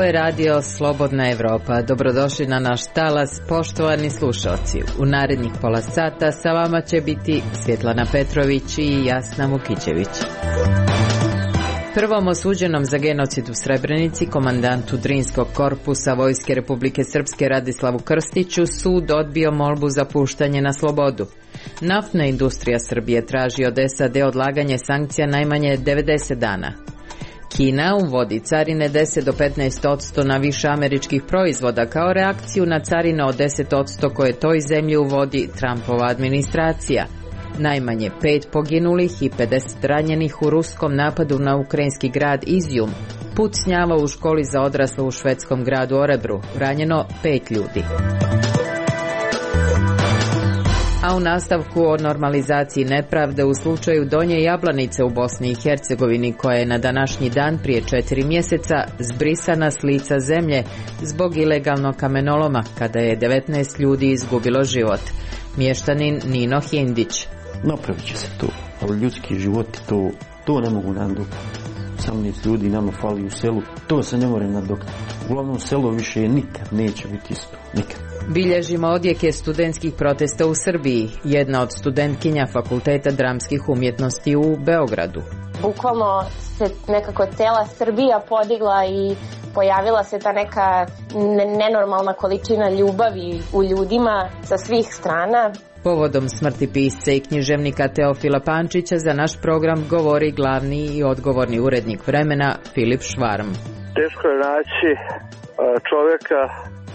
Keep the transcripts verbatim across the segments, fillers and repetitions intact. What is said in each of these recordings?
je radio Slobodna Evropa. Dobrodošli na naš talas, poštovani slušalci. U narednih pola sata sa vama će biti Svjetlana Petrović i Jasna Vukićević. Prvom osuđenom za genocid u Srebrenici, komandantu Drinskog korpusa Vojske Republike Srpske Radislavu Krstiću, sud odbio molbu za puštanje na slobodu. Naftna industrija Srbije traži od S A D odlaganje sankcija najmanje devedeset dana. Kina uvodi carine deset do petnaest odsto na više američkih proizvoda kao reakciju na carine od deset odsto koje toj zemlji uvodi Trumpova administracija. Najmanje pet poginulih i pedeset ranjenih u ruskom napadu na ukrajinski grad Izjum. Pucnjava u školi za odrasle u švedskom gradu Orebru. Ranjeno pet ljudi. A u nastavku o normalizaciji nepravde u slučaju Donje Jablanice u Bosni i Hercegovini, koja je na današnji dan prije četiri mjeseca zbrisana s lica zemlje zbog ilegalnog kamenoloma, kada je devetnaest ljudi izgubilo život. Mještanin Nino Hindić. Napravit će se to, ali ljudski životi to, to ne mogu nadoknaditi. osamnaest ljudi nama fali u selu, to se ne more nadoknaditi. Uglavnom selo više nikad neće biti isto, nikad. Bilježimo odjeke studentskih protesta u Srbiji, jedna od studentkinja Fakulteta dramskih umjetnosti u Beogradu. Bukvalno se nekako cela Srbija podigla i pojavila se ta neka nenormalna količina ljubavi u ljudima sa svih strana. Povodom smrti pisca i književnika Teofila Pančića za naš program govori glavni i odgovorni urednik Vremena Filip Švarm. Teško je naći čovjeka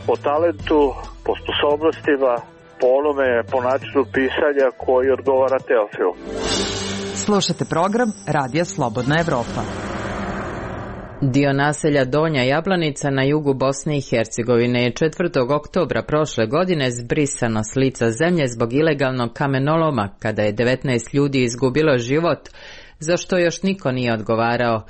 po talentu, po sposobnostima, po onome, po načinu pisanja koji odgovara Teofilu. Slušate program Radija Slobodna Evropa. Dio naselja Donja Jablanica na jugu Bosne i Hercegovine je četvrtog oktobra prošle godine zbrisano s lica zemlje zbog ilegalnog kamenoloma, kada je devetnaest ljudi izgubilo život, za što još niko nije odgovarao.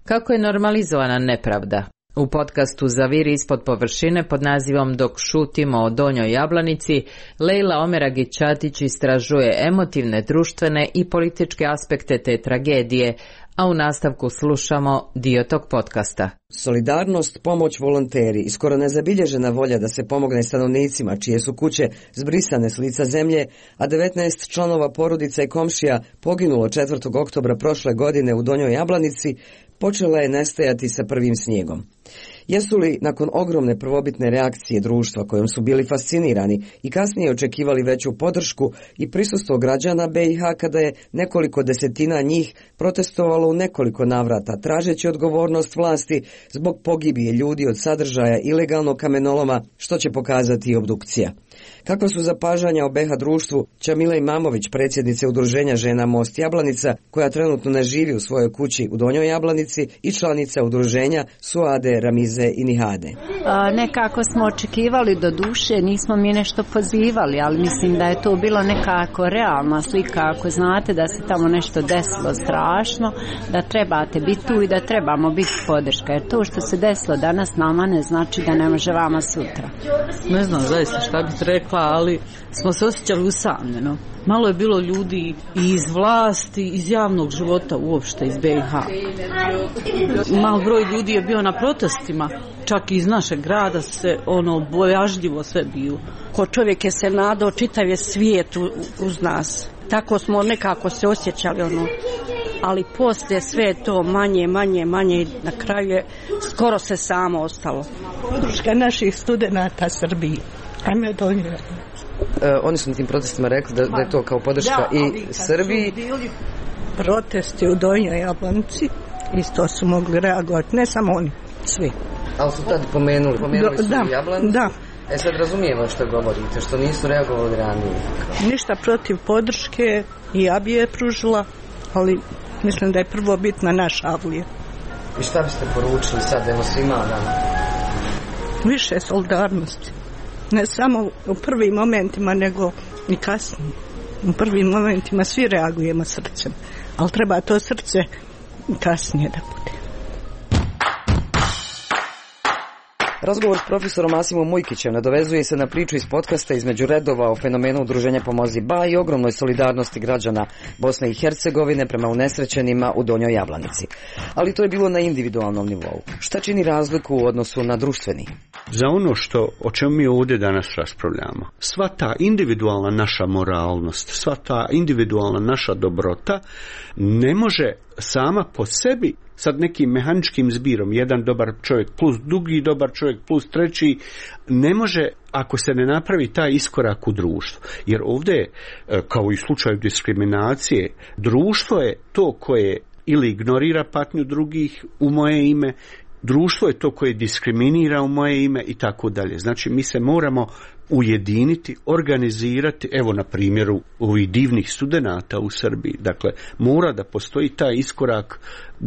Kako je normalizovana nepravda? U podcastu Zaviri ispod površine pod nazivom Dok šutimo o Donjoj Jablanici, Lejla Omeragić-Ćatić istražuje emotivne, društvene i političke aspekte te tragedije, a u nastavku slušamo dio tog podcasta. Solidarnost, pomoć, volonteri i skoro nezabilježena volja da se pomogne stanovnicima čije su kuće zbrisane s lica zemlje, a devetnaest članova porodica i komšija poginulo četvrtog oktobra prošle godine u Donjoj Jablanici, počela je nestajati sa prvim snijegom. Jesu li, nakon ogromne prvobitne reakcije društva kojom su bili fascinirani i kasnije očekivali veću podršku i prisustvo građana B i H kada je nekoliko desetina njih protestovalo u nekoliko navrata, tražeći odgovornost vlasti zbog pogibije ljudi od sadržaja ilegalnog kamenoloma, što će pokazati i obdukcija? Kakva su zapažanja o B H društvu, Čamila Imamović, predsjednice udruženja žena Most Jablanica, koja trenutno ne živi u svojoj kući u Donjoj Jablanici, i članica udruženja Suade, Ramize i Nihade. A, nekako smo očekivali, do duše, nismo mi nešto pozivali, ali mislim da je to bilo nekako realna slika, ako znate da se tamo nešto desilo strašno, da trebate biti tu i da trebamo biti podrška, jer to što se desilo danas nama ne znači da ne može vama sutra. Ne znam zaista šta bih rekla, ali smo se osjećali usamljeno. Malo je bilo ljudi i iz vlasti, iz javnog života uopšte, iz B i H. Mal broj ljudi je bio na protestima, čak i iz našeg grada se ono bojažljivo sve bio. Ko čovjek je se nadao, čitav je svijet uz nas. Tako smo nekako se osjećali ono. Ali poslije sve to manje, manje, manje, na kraju je skoro se samo ostalo. Podrška naših studenata Srbiji. Ajme donijela. E, oni su na tim protestima rekli da, da je to kao podrška da, i Srbiji. Bili protesti u Donjoj Jablanici, isto su mogli reagovati, ne samo oni, svi. Ali su tad pomenuli, pomenuli da, su da, Jablanicu. Da. E sad razumijemo što govorite, što nisu reagovali ranije. Ništa protiv podrške, i ja bi je pružila, ali mislim da je prvo bitna naša avlija. I šta biste poručili sad, evo svima nama? Više solidarnosti. Ne samo u prvim momentima, nego i kasnije. U prvim momentima svi reagujemo srcem, ali treba to srce kasnije da bude. Razgovor s profesorom Asimom Mujkićem nadovezuje se na priču iz podcasta Između redova o fenomenu udruženja Pomozi Ba i ogromnoj solidarnosti građana Bosne i Hercegovine prema unesrećenima u Donjoj Jablanici. Ali to je bilo na individualnom nivou. Šta čini razliku u odnosu na društveni? Za ono što, o čemu mi ovdje danas raspravljamo, sva ta individualna naša moralnost, sva ta individualna naša dobrota ne može sama po sebi sad nekim mehaničkim zbirom, jedan dobar čovjek plus drugi dobar čovjek plus treći, ne može ako se ne napravi taj iskorak u društvu. Jer ovdje, kao i u slučaju diskriminacije, društvo je to koje ili ignorira patnju drugih u moje ime, društvo je to koje diskriminira u moje ime i tako dalje. Znači mi se moramo ujediniti, organizirati, evo na primjeru ovih divnih studenata u Srbiji. Dakle, mora da postoji taj iskorak,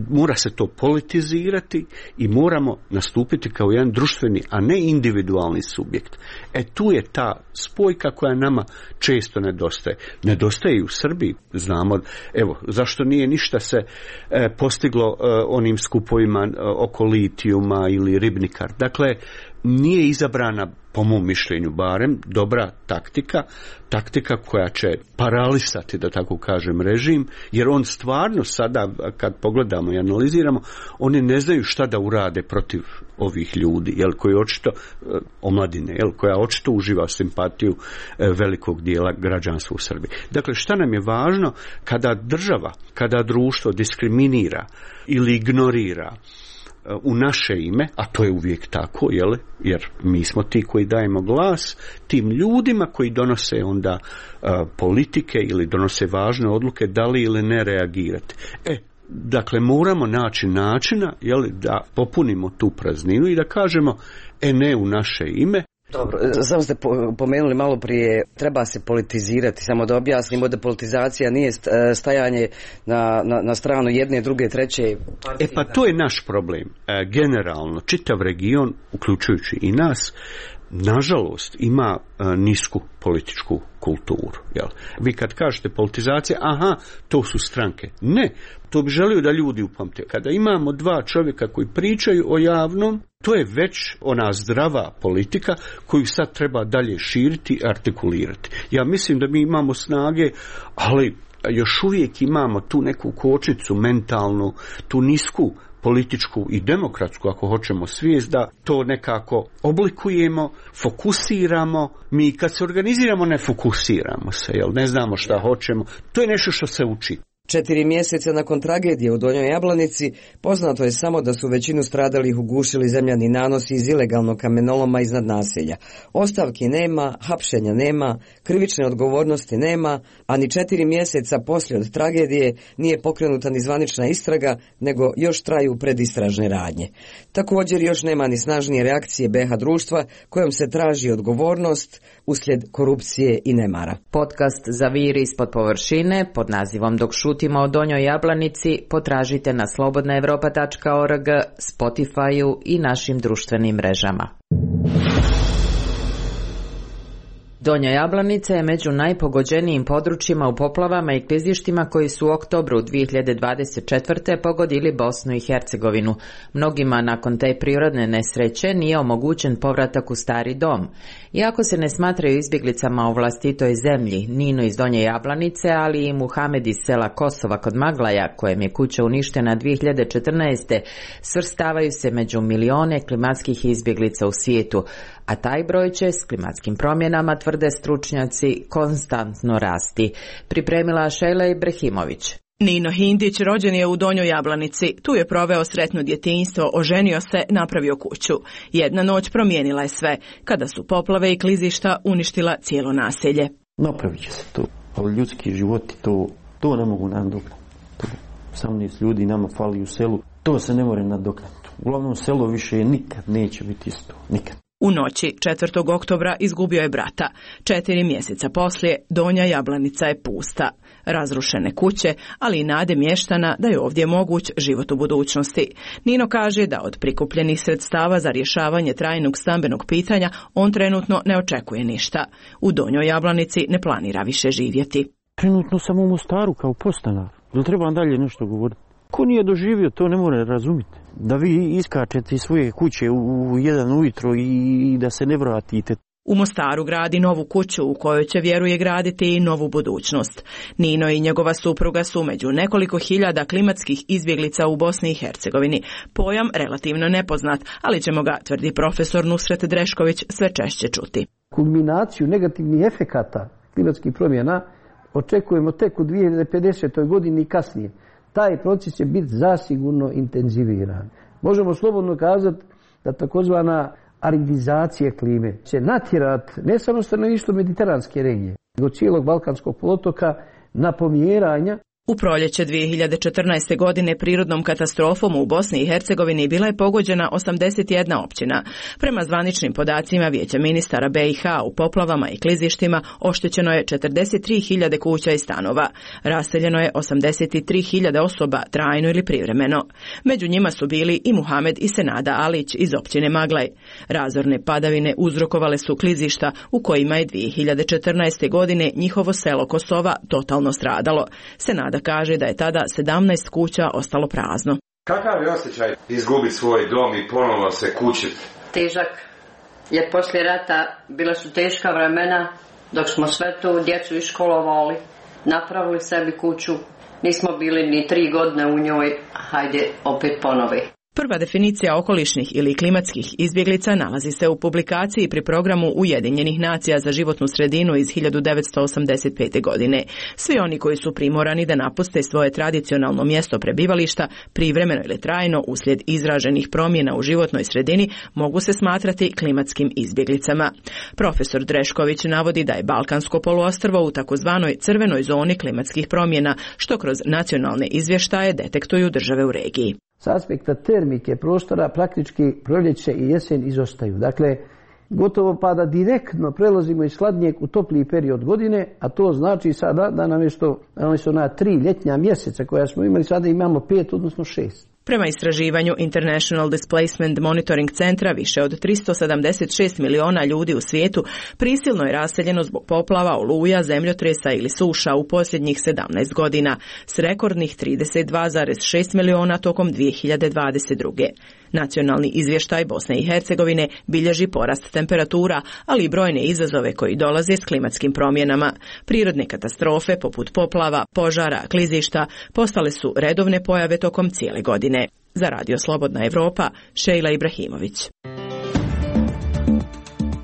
mora se to politizirati i moramo nastupiti kao jedan društveni, a ne individualni subjekt. E tu je ta spojka koja nama često nedostaje. Nedostaje i u Srbiji, znamo, evo, zašto nije ništa se e, postiglo e, onim skupovima e, oko litijuma ili ribnikar. Dakle, nije izabrana, po mom mišljenju barem, dobra taktika, taktika koja će paralisati, da tako kažem, režim, jer on stvarno sada, kad pogledamo i analiziramo, oni ne znaju šta da urade protiv ovih ljudi, jel, koji očito, omladine, jel, koja očito uživa simpatiju velikog dijela građanstva u Srbiji. Dakle, šta nam je važno kada država, kada društvo diskriminira ili ignorira u naše ime, a to je uvijek tako, jel? Jer mi smo ti koji dajemo glas tim ljudima koji donose onda uh, politike ili donose važne odluke, da li ili ne reagirati. E, dakle, moramo naći načina, jel, da popunimo tu prazninu i da kažemo, e ne u naše ime. Dobro, samo ste pomenuli malo prije, treba se politizirati, samo da objasnimo da politizacija nije stajanje na, na, na stranu jedne, druge, treće partije. E pa to je naš problem. E, generalno, čitav region, uključujući i nas, nažalost ima e, nisku političku kulturu. Jel? Vi kad kažete politizacija, aha, to su stranke. Ne, to bi želio da ljudi upamte. Kada imamo dva čovjeka koji pričaju o javnom, to je već ona zdrava politika koju sad treba dalje širiti i artikulirati. Ja mislim da mi imamo snage, ali još uvijek imamo tu neku kočnicu mentalnu, tu nisku političku i demokratsku, ako hoćemo, svijest da to nekako oblikujemo, fokusiramo. Mi kad se organiziramo ne fokusiramo se, jel? Ne znamo šta hoćemo. To je nešto što se uči. Četiri mjeseca nakon tragedije u Donjoj Jablanici poznato je samo da su većinu stradalih ugušili zemljani nanosi iz ilegalnog kamenoloma iznad naselja. Ostavki nema, hapšenja nema, krivične odgovornosti nema, a ni četiri mjeseca poslije od tragedije nije pokrenuta ni zvanična istraga, nego još traju predistražne radnje. Također još nema ni snažnije reakcije be ha društva kojom se traži odgovornost uslijed korupcije i nemara. Podcast Zaviri ispod površine pod nazivom Dok šutimo o Donjoj Jablanici potražite na slobodna evropa tačka org, Spotify-u i našim društvenim mrežama. Donja Jablanica je među najpogođenijim područjima u poplavama i klizištima koji su u oktobru dvije hiljade dvadeset četvrte pogodili Bosnu i Hercegovinu. Mnogima nakon te prirodne nesreće nije omogućen povratak u stari dom. Iako se ne smatraju izbjeglicama u vlastitoj zemlji, Nino iz Donje Jablanice, ali i Muhamed iz sela Kosova kod Maglaja, kojem je kuća uništena dvije hiljade četrnaeste, svrstavaju se među milione klimatskih izbjeglica u svijetu, a taj broj će s klimatskim promjenama, tvrde stručnjaci, konstantno rasti. Pripremila Šejla Ibrahimović. Nino Hindić rođen je u Donjoj Jablanici. Tu je proveo sretno djetinjstvo, oženio se, napravio kuću. Jedna noć promijenila je sve, kada su poplave i klizišta uništila cijelo naselje. Napravit će se to, ali ljudski životi to, to ne mogu nadoknati. osamnaest ljudi nama fali u selu, to se ne more nadoknati. Uglavnom selo više nikad neće biti isto, nikad. U noći četvrtog oktobra izgubio je brata. Četiri mjeseca poslije Donja Jablanica je pusta. Razrušene kuće, ali i nade mještana da je ovdje moguć život u budućnosti. Nino kaže da od prikupljenih sredstava za rješavanje trajnog stambenog pitanja on trenutno ne očekuje ništa. U Donjoj Jablanici ne planira više živjeti. Trenutno sam u Mostaru kao podstanar. Jel treba dalje nešto govoriti? Ko nije doživio, to ne more razumjeti. da vi iskačete iz svoje kuće u jedan ujutro i da se ne vratite. U Mostaru gradi novu kuću u kojoj će, vjeruje, graditi i novu budućnost. Nino i njegova supruga su među nekoliko hiljada klimatskih izbjeglica u Bosni i Hercegovini. Pojam relativno nepoznat, ali ćemo ga, tvrdi profesor Nusret Drešković, sve češće čuti. Kulminaciju negativnih efekata klimatskih promjena očekujemo tek u dvije hiljade pedesetoj godini i kasnije. Taj proces će biti zasigurno intenziviran. Možemo slobodno kazati da takozvana aridizacija klime će natjerati ne samo stanovništvo mediteranske regije, nego cijelog Balkanskog poluotoka na pomjeranja. U proljeće dvije hiljade četrnaeste. godine prirodnom katastrofom u Bosni i Hercegovini bila je pogođena osamdeset jedna općina. Prema zvaničnim podacima Vijeća ministara B i H u poplavama i klizištima oštećeno je četrdeset tri hiljade kuća i stanova. Raseljeno je osamdeset tri hiljade osoba trajno ili privremeno. Među njima su bili i Muhamed i Senada Alić iz općine Maglaj. Razorne padavine uzrokovale su klizišta u kojima je dvije hiljade četrnaeste. godine njihovo selo Kosova totalno stradalo. Senada da kaže da je tada sedamnaest kuća ostalo prazno. Kakav je osjećaj izgubiti svoj dom i ponovo se kućiti? Težak, jer poslije rata bila su teška vremena dok smo sve tu djecu iškolovali, napravili sebi kuću, nismo bili ni tri godine u njoj, hajde opet ponovi. Prva definicija okolišnih ili klimatskih izbjeglica nalazi se u publikaciji pri programu Ujedinjenih nacija za životnu sredinu iz hiljadu devetsto osamdeset pete. godine. Svi oni koji su primorani da napuste svoje tradicionalno mjesto prebivališta, privremeno ili trajno uslijed izraženih promjena u životnoj sredini, mogu se smatrati klimatskim izbjeglicama. Profesor Drešković navodi da je Balkansko poluostrvo u takozvanoj crvenoj zoni klimatskih promjena, što kroz nacionalne izvještaje detektuju države u regiji. S aspekta termike prostora praktički proljeće i jesen izostaju. Dakle, gotovo pa da direktno prelazimo iz hladnijeg u topliji period godine, a to znači sada da namjesto, namjesto na tri ljetnja mjeseca koja smo imali, sada imamo pet, odnosno šest. Prema istraživanju International Displacement Monitoring Centra, više od tristo sedamdeset šest miliona ljudi u svijetu prisilno je raseljeno zbog poplava, oluja, zemljotresa ili suša u posljednjih sedamnaest godina, s rekordnih trideset dva zarez šest miliona tokom dvije hiljade dvadeset druge. Nacionalni izvještaj Bosne i Hercegovine bilježi porast temperatura, ali i brojne izazove koji dolaze s klimatskim promjenama. Prirodne katastrofe poput poplava, požara, klizišta postale su redovne pojave tokom cijele godine. Za Radio Slobodna Evropa, Šejla Ibrahimović.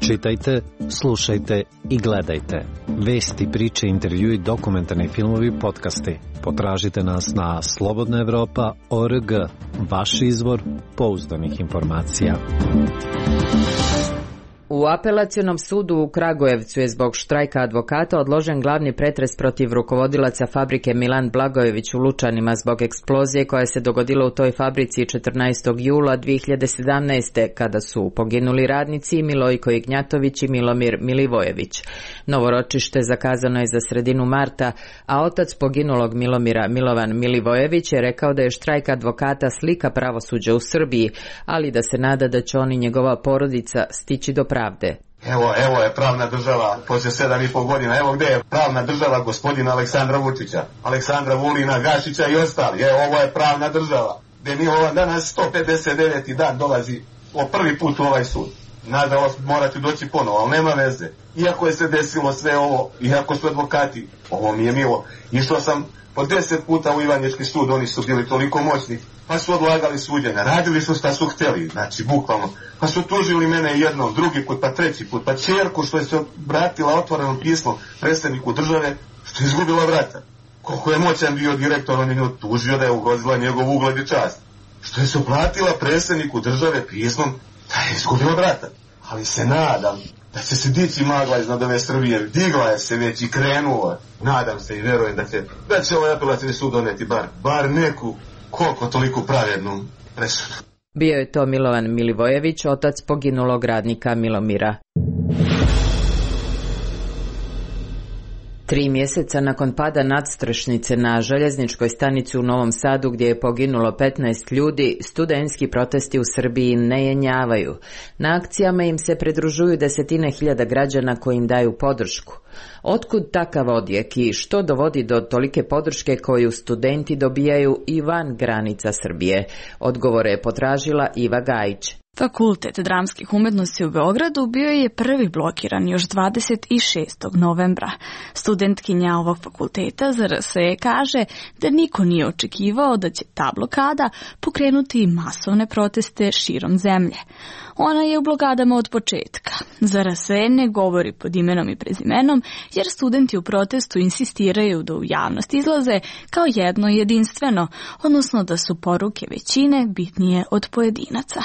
Čitajte, slušajte i gledajte. Vesti, priče, intervjui, dokumentarni filmovi, podcasti. Potražite nas na slobodna evropa točka org, vaš izvor pouzdanih informacija. U apelacionom sudu u Kragujevcu je zbog štrajka advokata odložen glavni pretres protiv rukovodilaca fabrike Milan Blagojević u Lučanima zbog eksplozije koja se dogodila u toj fabrici četrnaestog jula dvije hiljade sedamnaeste. kada su poginuli radnici Milojko Ignjatović i Milomir Milivojević. Novo ročište zakazano je za sredinu marta, a otac poginulog Milomira, Milovan Milivojević, je rekao da je štrajk advokata slika pravosuđa u Srbiji, ali da se nada da će on i njegova porodica stići do pravde. Evo, evo je pravna država, poslije sedam i pol godina, evo gdje je pravna država gospodina Aleksandra Vučića, Aleksandra Vulina, Gašića i ostali, evo ovo je pravna država, gdje mi ovo danas sto pedeset deveti dan dolazi o prvi put u ovaj sud. Nažalost morate doći ponovo, ali nema veze. Iako je se desilo sve ovo, iako su advokati, ovo mi je milo, išao sam po deset puta u Ivanječki sud, oni su bili toliko moćni, pa su odlagali suđenja, radili su šta su htjeli, znači bukvalno, pa su tužili mene jednom, drugi put, pa treći put, pa čerku što je se obratila otvorenom pismom predsjedniku države, što je izgubila vrata. Koliko je moćan bio direktor, on je nju tužio da je ugrozila njegov ugled i čast. Što je se obratila predsjedniku države pismom da je izgubila vrata. Ali se nadam da će se dići magla iznad ove Srbije, digla je se već i krenula. Nadam se i verujem da će, da će ovaj apelacijni sud doneti bar, bar neku koliko toliko pravednu presudu. Bio je to Milovan Milivojević, otac poginulog radnika Milomira. Tri mjeseca nakon pada nadstrešnice na željezničkoj stanici u Novom Sadu gdje je poginulo petnaest ljudi, studentski protesti u Srbiji ne jenjavaju. Na akcijama im se pridružuju desetine hiljada građana koji im daju podršku. Otkud takav odjek i što dovodi do tolike podrške koju studenti dobijaju i van granica Srbije? Odgovore je potražila Iva Gajić. Fakultet dramskih umjetnosti u Beogradu bio je prvi blokiran još dvadeset šestog novembra. Studentkinja ovog fakulteta Z R S E kaže da niko nije očekivao da će ta blokada pokrenuti masovne proteste širom zemlje. Ona je u blokadama od početka. Z R S E ne govori pod imenom i prezimenom jer studenti u protestu insistiraju da u javnost izlaze kao jedno jedinstveno, odnosno da su poruke većine bitnije od pojedinaca.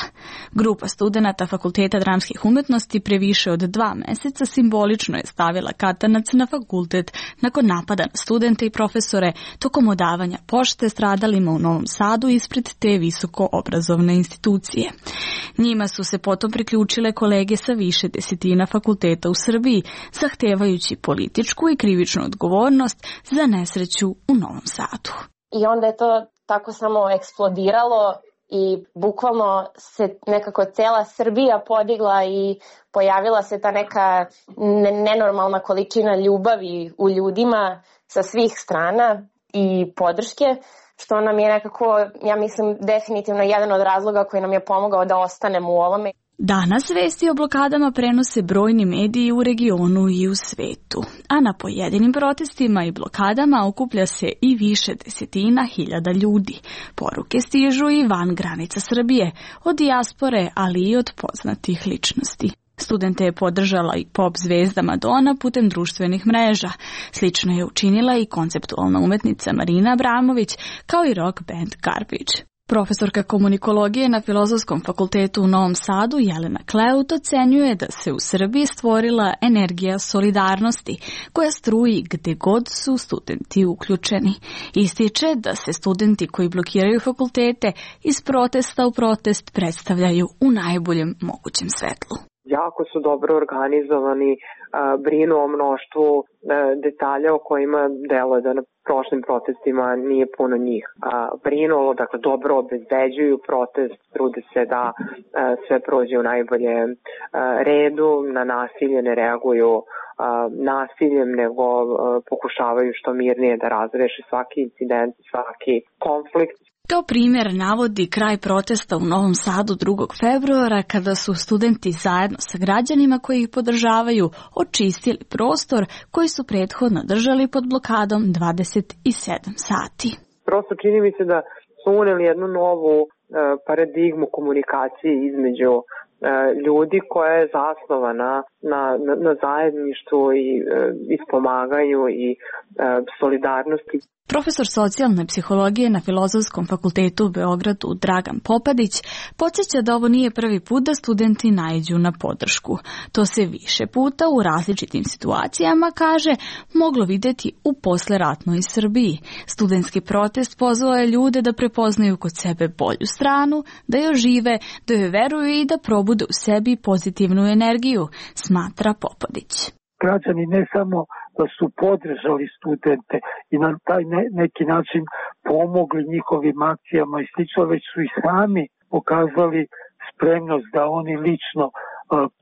Grupa studenata Fakulteta dramskih umjetnosti pre više od dva meseca simbolično je stavila katanac na fakultet nakon napada na studente i profesore tokom odavanja pošte stradalima u Novom Sadu ispred te visoko obrazovne institucije. Njima su se potom priključile kolege sa više desetina fakulteta u Srbiji, zahtevajući političku i krivičnu odgovornost za nesreću u Novom Sadu. I onda je to tako samo eksplodiralo i bukvalno se nekako cela Srbija podigla i pojavila se ta neka nenormalna količina ljubavi u ljudima sa svih strana i podrške, što nam je nekako, ja mislim, definitivno jedan od razloga koji nam je pomogao da ostanemo u ovome. Danas vesti o blokadama prenose brojni mediji u regionu i u svetu, a na pojedinim protestima i blokadama okuplja se i više desetina hiljada ljudi. Poruke stižu i van granica Srbije, od dijaspore, ali i od poznatih ličnosti. Studente je podržala i pop zvezda Madonna putem društvenih mreža. Slično je učinila i konceptualna umetnica Marina Abramović, kao i rock band Garbage. Profesorka komunikologije na Filozofskom fakultetu u Novom Sadu Jelena Kleut ocenjuje da se u Srbiji stvorila energija solidarnosti koja struji gde god su studenti uključeni. Ističe da se studenti koji blokiraju fakultete iz protesta u protest predstavljaju u najboljem mogućem svetlu. Jako su dobro organizovani, brinu o mnoštvu detalja o kojima deluje da na prošlim protestima nije puno njih brinu, dakle dobro obezbeđuju protest, trude se da sve prođe u najboljem redu, na nasilje ne reaguju nasiljem, nego pokušavaju što mirnije da razreše svaki incident, svaki konflikt. Kao primjer navodi kraj protesta u Novom Sadu drugog februara kada su studenti zajedno sa građanima koji ih podržavaju očistili prostor koji su prethodno držali pod blokadom dvadeset sedam sati. Prosto čini mi se da su uneli jednu novu e, paradigmu komunikacije između e, ljudi koja je zasnovana na, na, na zajedništvu i e, ispomaganju i e, solidarnosti. Profesor socijalne psihologije na Filozofskom fakultetu u Beogradu Dragan Popadić podsjeća da ovo nije prvi put da studenti naiđu na podršku. To se više puta u različitim situacijama, kaže, moglo vidjeti u posleratnoj Srbiji. Studentski protest pozvao je ljude da prepoznaju kod sebe bolju stranu, da joj žive, da joj veruju i da probude u sebi pozitivnu energiju, smatra Popadić. Građani ne samo da su podržali studente i na taj ne, neki način pomogli njihovim akcijama i slično, već su i sami pokazali spremnost da oni lično uh,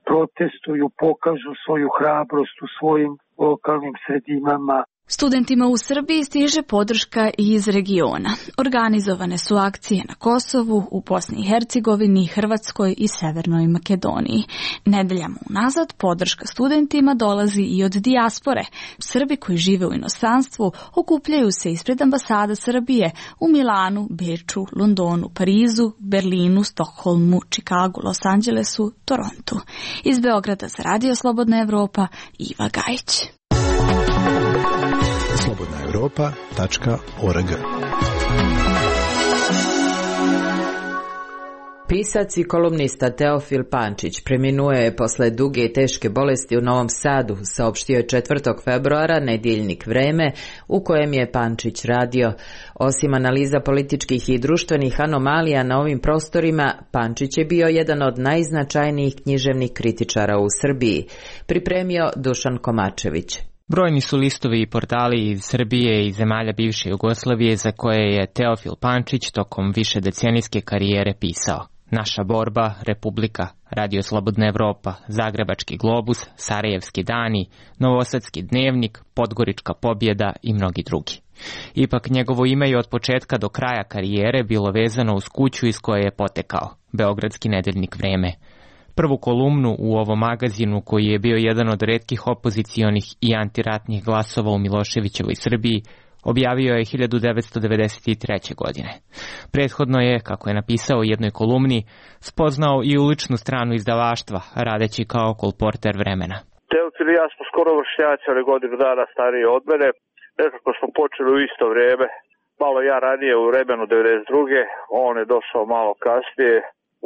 protestuju, pokažu svoju hrabrost u svojim lokalnim sredinama. Studentima u Srbiji stiže podrška i iz regiona. Organizovane su akcije na Kosovu, u Bosni i Hercegovini, Hrvatskoj i Severnoj Makedoniji. Nedeljama unazad podrška studentima dolazi i od dijaspore. Srbi koji žive u inostranstvu okupljaju se ispred ambasada Srbije u Milanu, Beču, Londonu, Parizu, Berlinu, Stokholmu, Čikagu, Los Angelesu, Torontu. Iz Beograda za Radio Slobodna Evropa, Iva Gajić. slobodna europa tačka org. Pisac i kolumnista Teofil Pančić preminuo je posle duge i teške bolesti u Novom Sadu, saopštio je četvrtog februara nedjeljnik Vreme u kojem je Pančić radio. Osim analiza političkih i društvenih anomalija na ovim prostorima, Pančić je bio jedan od najznačajnijih književnih kritičara u Srbiji, pripremio Dušan Komačević. Brojni su listovi i portali iz Srbije i zemalja bivše Jugoslavije za koje je Teofil Pančić tokom višedecenijske karijere pisao. Naša borba, Republika, Radio Slobodna Evropa, Zagrebački globus, Sarajevski dani, Novosadski dnevnik, Podgorička pobjeda i mnogi drugi. Ipak njegovo ime je od početka do kraja karijere bilo vezano uz kuću iz koje je potekao, Beogradski nedeljnik Vreme. Prvu kolumnu u ovom magazinu, koji je bio jedan od retkih opozicionih i antiratnih glasova u Miloševićevoj Srbiji, objavio je hiljadu devetsto devedeset treće. godine. Prethodno je, kako je napisao u jednoj kolumni, spoznao i uličnu stranu izdavaštva, radeći kao kolporter Vremena. Teofil i ja smo skoro vršnjaci, ali godinu dana stariji od mene. Nekako smo počeli u isto vrijeme. Malo ja ranije u Vremenu devedeset druge. On je došao malo kasnije.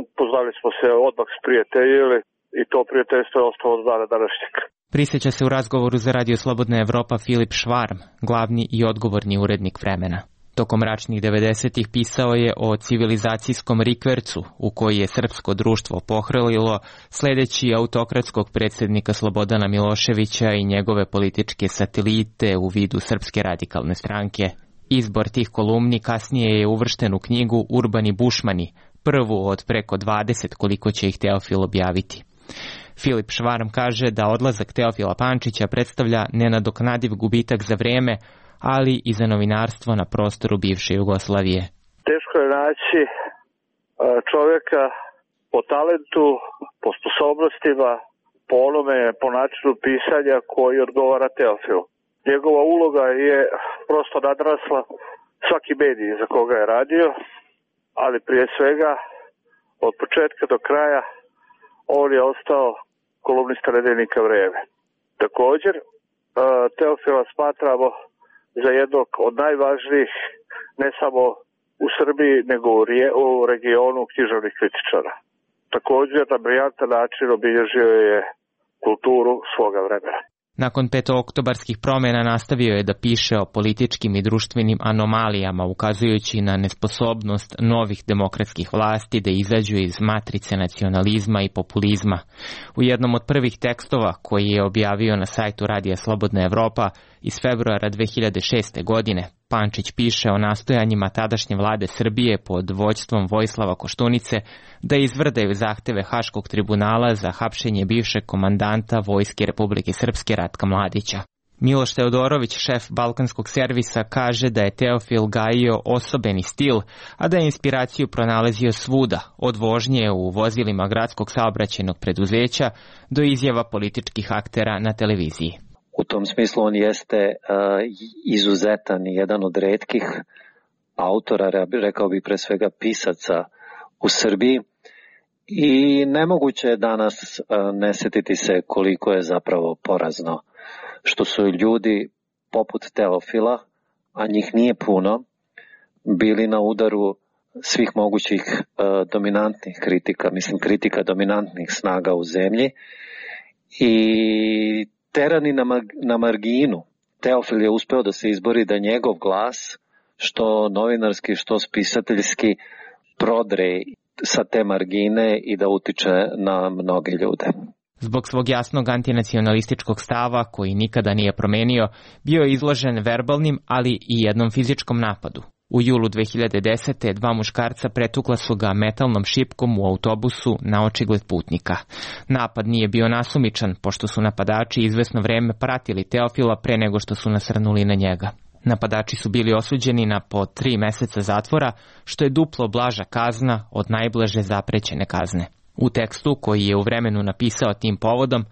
Upoznali smo se, odmah sprijateljili i to prijateljstvo je ostalo od dana današnjeg. Prisjeća se u razgovoru za Radio Slobodna Evropa Filip Švarm, glavni i odgovorni urednik Vremena. Tokom mračnih devedesetih pisao je o civilizacijskom rikvercu u koji je srpsko društvo pohrlilo sledeći autokratskog predsjednika Slobodana Miloševića i njegove političke satelite u vidu Srpske radikalne stranke. Izbor tih kolumni kasnije je uvršten u knjigu Urbani bušmani, prvu od preko dvadeset koliko će ih Teofil objaviti. Filip Švarm kaže da odlazak Teofila Pančića predstavlja nenadoknadiv gubitak za vrijeme, ali i za novinarstvo na prostoru bivše Jugoslavije. Teško je naći čovjeka po talentu, po sposobnostima, po onome, po načinu pisanja koji odgovara Teofilu. Njegova uloga je prosto nadrasla svaki medij za koga je radio, ali prije svega od početka do kraja on je ostao kolumnista nedeljnika Vreme. Također, Teofila smatramo za jednog od najvažnijih, ne samo u Srbiji, nego u regionu književnih kritičara. Također, na briljantan način obilježio je kulturu svoga vremena. Nakon petooktobarskih promjena nastavio je da piše o političkim i društvenim anomalijama, ukazujući na nesposobnost novih demokratskih vlasti da izađu iz matrice nacionalizma i populizma. U jednom od prvih tekstova koji je objavio na sajtu Radija Slobodna Evropa iz februara dve hiljade šeste. godine, Pančić piše o nastojanjima tadašnje vlade Srbije pod vođstvom Vojislava Koštunice da izvrdaju zahteve Haškog tribunala za hapšenje bivšeg komandanta Vojske Republike Srpske Ratka Mladića. Miloš Teodorović, šef balkanskog servisa, kaže da je Teofil gajio osobeni stil, a da je inspiraciju pronalazio svuda, od vožnje u vozilima gradskog saobraćajnog preduzeća do izjava političkih aktera na televiziji. U tom smislu on jeste uh, izuzetan i jedan od retkih autora, rekao bih pre svega pisaca u Srbiji, i nemoguće je danas uh, ne setiti se koliko je zapravo porazno što su ljudi poput Teofila, a njih nije puno, bili na udaru svih mogućih uh, dominantnih kritika, mislim kritika dominantnih snaga u zemlji, i terani na, na marginu. Teofil je uspeo da se izbori da njegov glas, što novinarski, što spisateljski, prodre sa te margine i da utiče na mnoge ljude. Zbog svog jasnog antinacionalističkog stava, koji nikada nije promenio, bio je izložen verbalnim, ali i jednom fizičkom napadu. U julu dve hiljade desete. dva muškarca pretukla su ga metalnom šipkom u autobusu na očigled putnika. Napad nije bio nasumičan, pošto su napadači izvesno vreme pratili Teofila pre nego što su nasrnuli na njega. Napadači su bili osuđeni na po tri meseca zatvora, što je duplo blaža kazna od najblaže zaprećene kazne. U tekstu, koji je u Vremenu napisao tim povodom,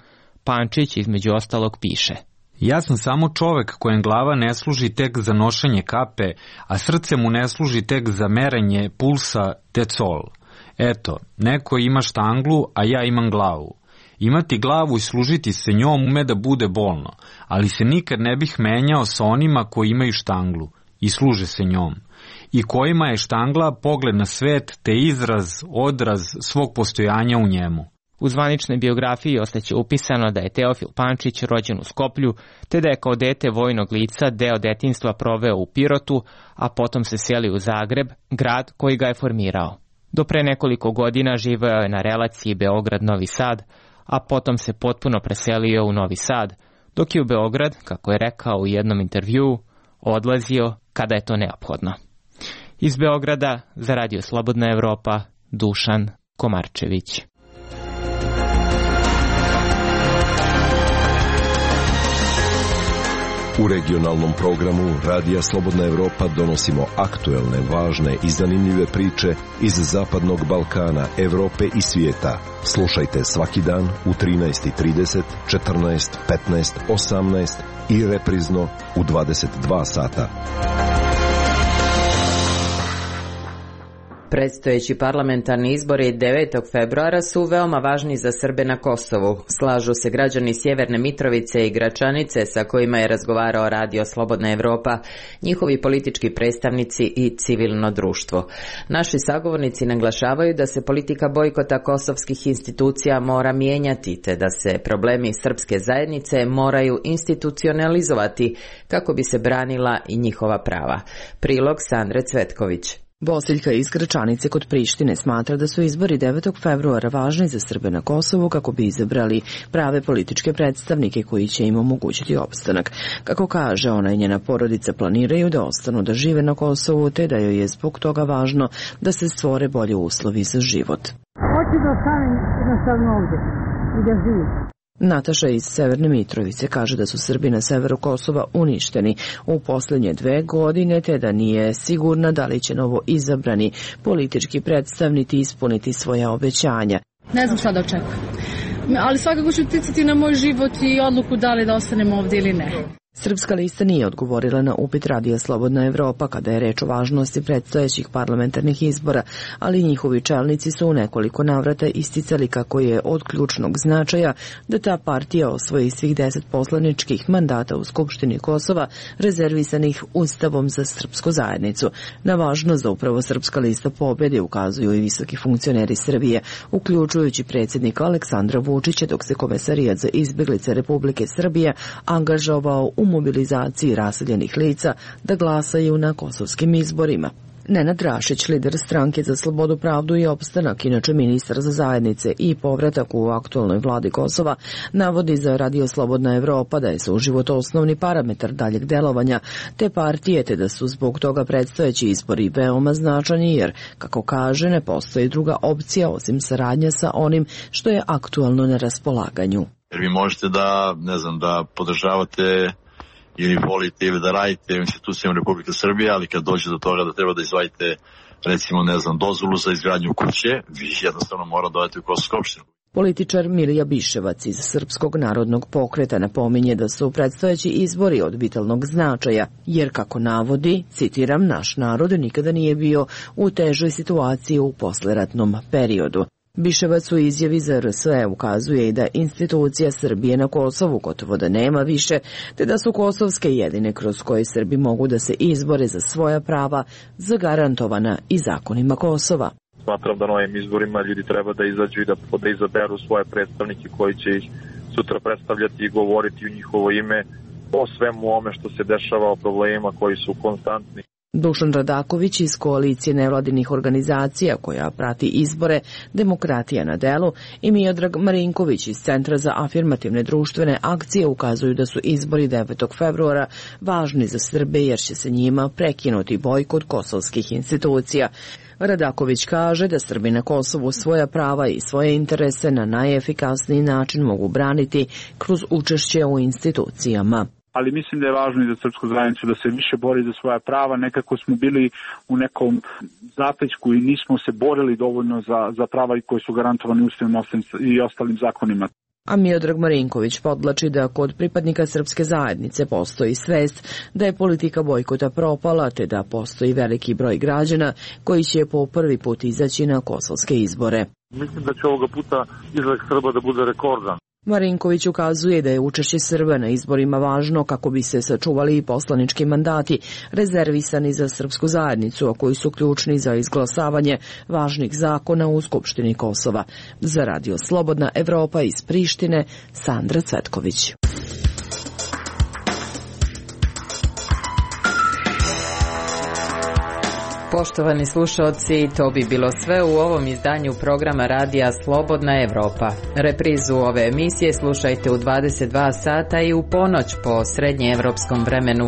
Pančić između ostalog piše: Ja sam samo čovek kojem glava ne služi tek za nošenje kape, a srce mu ne služi tek za merenje pulsa decol. Eto, neko ima štanglu, a ja imam glavu. Imati glavu i služiti se njom ume da bude bolno, ali se nikad ne bih menjao sa onima koji imaju štanglu i služe se njom, i kojima je štangla pogled na svet te izraz, odraz svog postojanja u njemu. U zvaničnoj biografiji ostaće upisano da je Teofil Pančić rođen u Skoplju, te da je kao dete vojnog lica deo detinjstva proveo u Pirotu, a potom se selio u Zagreb, grad koji ga je formirao. Do pre nekoliko godina živeo je na relaciji Beograd-Novi Sad, a potom se potpuno preselio u Novi Sad, dok je u Beograd, kako je rekao u jednom intervjuu, odlazio kada je to neophodno. Iz Beograda za Radio Slobodna Evropa, Dušan Komarčević. U regionalnom programu Radija Slobodna Evropa donosimo aktuelne, važne i zanimljive priče iz Zapadnog Balkana, Evrope i svijeta. Slušajte svaki dan u trinaest i trideset, četrnaest, petnaest, osamnaest i reprizno u dvadeset dva sata. Predstojeći parlamentarni izbori devetog februara su veoma važni za Srbe na Kosovu. Slažu se građani Sjeverne Mitrovice i Gračanice sa kojima je razgovarao Radio Slobodna Evropa, njihovi politički predstavnici i civilno društvo. Naši sagovornici naglašavaju da se politika bojkota kosovskih institucija mora mijenjati, te da se problemi srpske zajednice moraju institucionalizovati kako bi se branila i njihova prava. Prilog Sandre Cvetković. Bosiljka iz Gračanice kod Prištine smatra da su izbori devetog februara važni za Srbe na Kosovu kako bi izabrali prave političke predstavnike koji će im omogućiti opstanak. Kako kaže, ona i njena porodica planiraju da ostanu da žive na Kosovu, te da joj je zbog toga važno da se stvore bolje uslovi za život. Hoću da ostanem jednostavno ovdje i da živim. Nataša iz Severne Mitrovice kaže da su Srbi na severu Kosova uništeni u posljednje dve godine, te da nije sigurna da li će novo izabrani politički predstavnici ispuniti svoja obećanja. Ne znam šta da očekujem, ali svakako ću uticati na moj život i odluku da li da ostanem ovdje ili ne. Srpska lista nije odgovorila na upit Radija Slobodna Evropa kada je reč o važnosti predstojećih parlamentarnih izbora, ali njihovi čelnici su u nekoliko navrata isticali kako je od ključnog značaja da ta partija osvoji svih deset poslaničkih mandata u Skupštini Kosova rezervisanih Ustavom za srpsku zajednicu. Na važnost da upravo Srpska lista pobjede ukazuju i visoki funkcioneri Srbije, uključujući predsjednika Aleksandra Vučića, dok se Komesarijat za izbjeglice Republike Srbije angažovao u mobilizaciji raseljenih lica da glasaju na kosovskim izborima. Nenad Rašić, lider stranke za slobodu, pravdu i opstanak, inače ministar za zajednice i povratak u aktualnoj vladi Kosova, navodi za Radio Slobodna Evropa da je suživot osnovni parametar daljeg delovanja te partije, te da su zbog toga predstojeći izbori veoma značajni jer, kako kaže, ne postoji druga opcija osim saradnja sa onim što je aktualno na raspolaganju. Jer vi možete da, ne znam, da podržavate ili volite ili da radite u institucijama Republike Srbije, ali kad dođe do toga da treba da izvadite, recimo, ne znam, dozvolu za izgradnju kuće, vi jednostavno mora dodati u Kosovsku opštinu. Političar Milija Biševac iz Srpskog narodnog pokreta napominje da su predstojeći izbori od vitalnog značaja, jer, kako navodi, citiram, naš narod nikada nije bio u težoj situaciji u posleratnom periodu. Biševac u izjavi za R S E ukazuje i da institucija Srbije na Kosovu gotovo da nema više, te da su kosovske jedine kroz koje Srbi mogu da se izbore za svoja prava zagarantovana i zakonima Kosova. Smatram da na ovim izborima ljudi treba da izađu i da, da izaberu svoje predstavnike koji će ih sutra predstavljati i govoriti u njihovo ime o svemu ome što se dešava, o problemima koji su konstantni. Dušan Radaković iz koalicije nevladinih organizacija koja prati izbore Demokratija na delu i Miodrag Marinković iz Centra za afirmativne društvene akcije ukazuju da su izbori devetog februara važni za Srbe jer će se njima prekinuti bojkot kosovskih institucija. Radaković kaže da Srbi na Kosovu svoja prava i svoje interese na najefikasniji način mogu braniti kroz učešće u institucijama. Ali mislim da je važno i za srpsku zajednicu da se više bori za svoja prava. Nekako smo bili u nekom zapećku i nismo se borili dovoljno za, za prava koji su garantovani Ustavom i ostalim zakonima. A Miodrag Marinković podlači da kod pripadnika srpske zajednice postoji svest da je politika bojkota propala, te da postoji veliki broj građana koji će po prvi put izaći na kosovske izbore. Mislim da će ovoga puta izlazak Srba da bude rekordan. Marinković ukazuje da je učešće Srba na izborima važno kako bi se sačuvali i poslanički mandati rezervisani za srpsku zajednicu, a koji su ključni za izglasavanje važnih zakona u Skupštini Kosova. Za Radio Slobodna Evropa iz Prištine, Sandra Cvetković. Poštovani slušalci, to bi bilo sve u ovom izdanju programa radija Slobodna Evropa. Reprizu ove emisije slušajte u dvadeset dva sata i u ponoć po srednjeevropskom vremenu.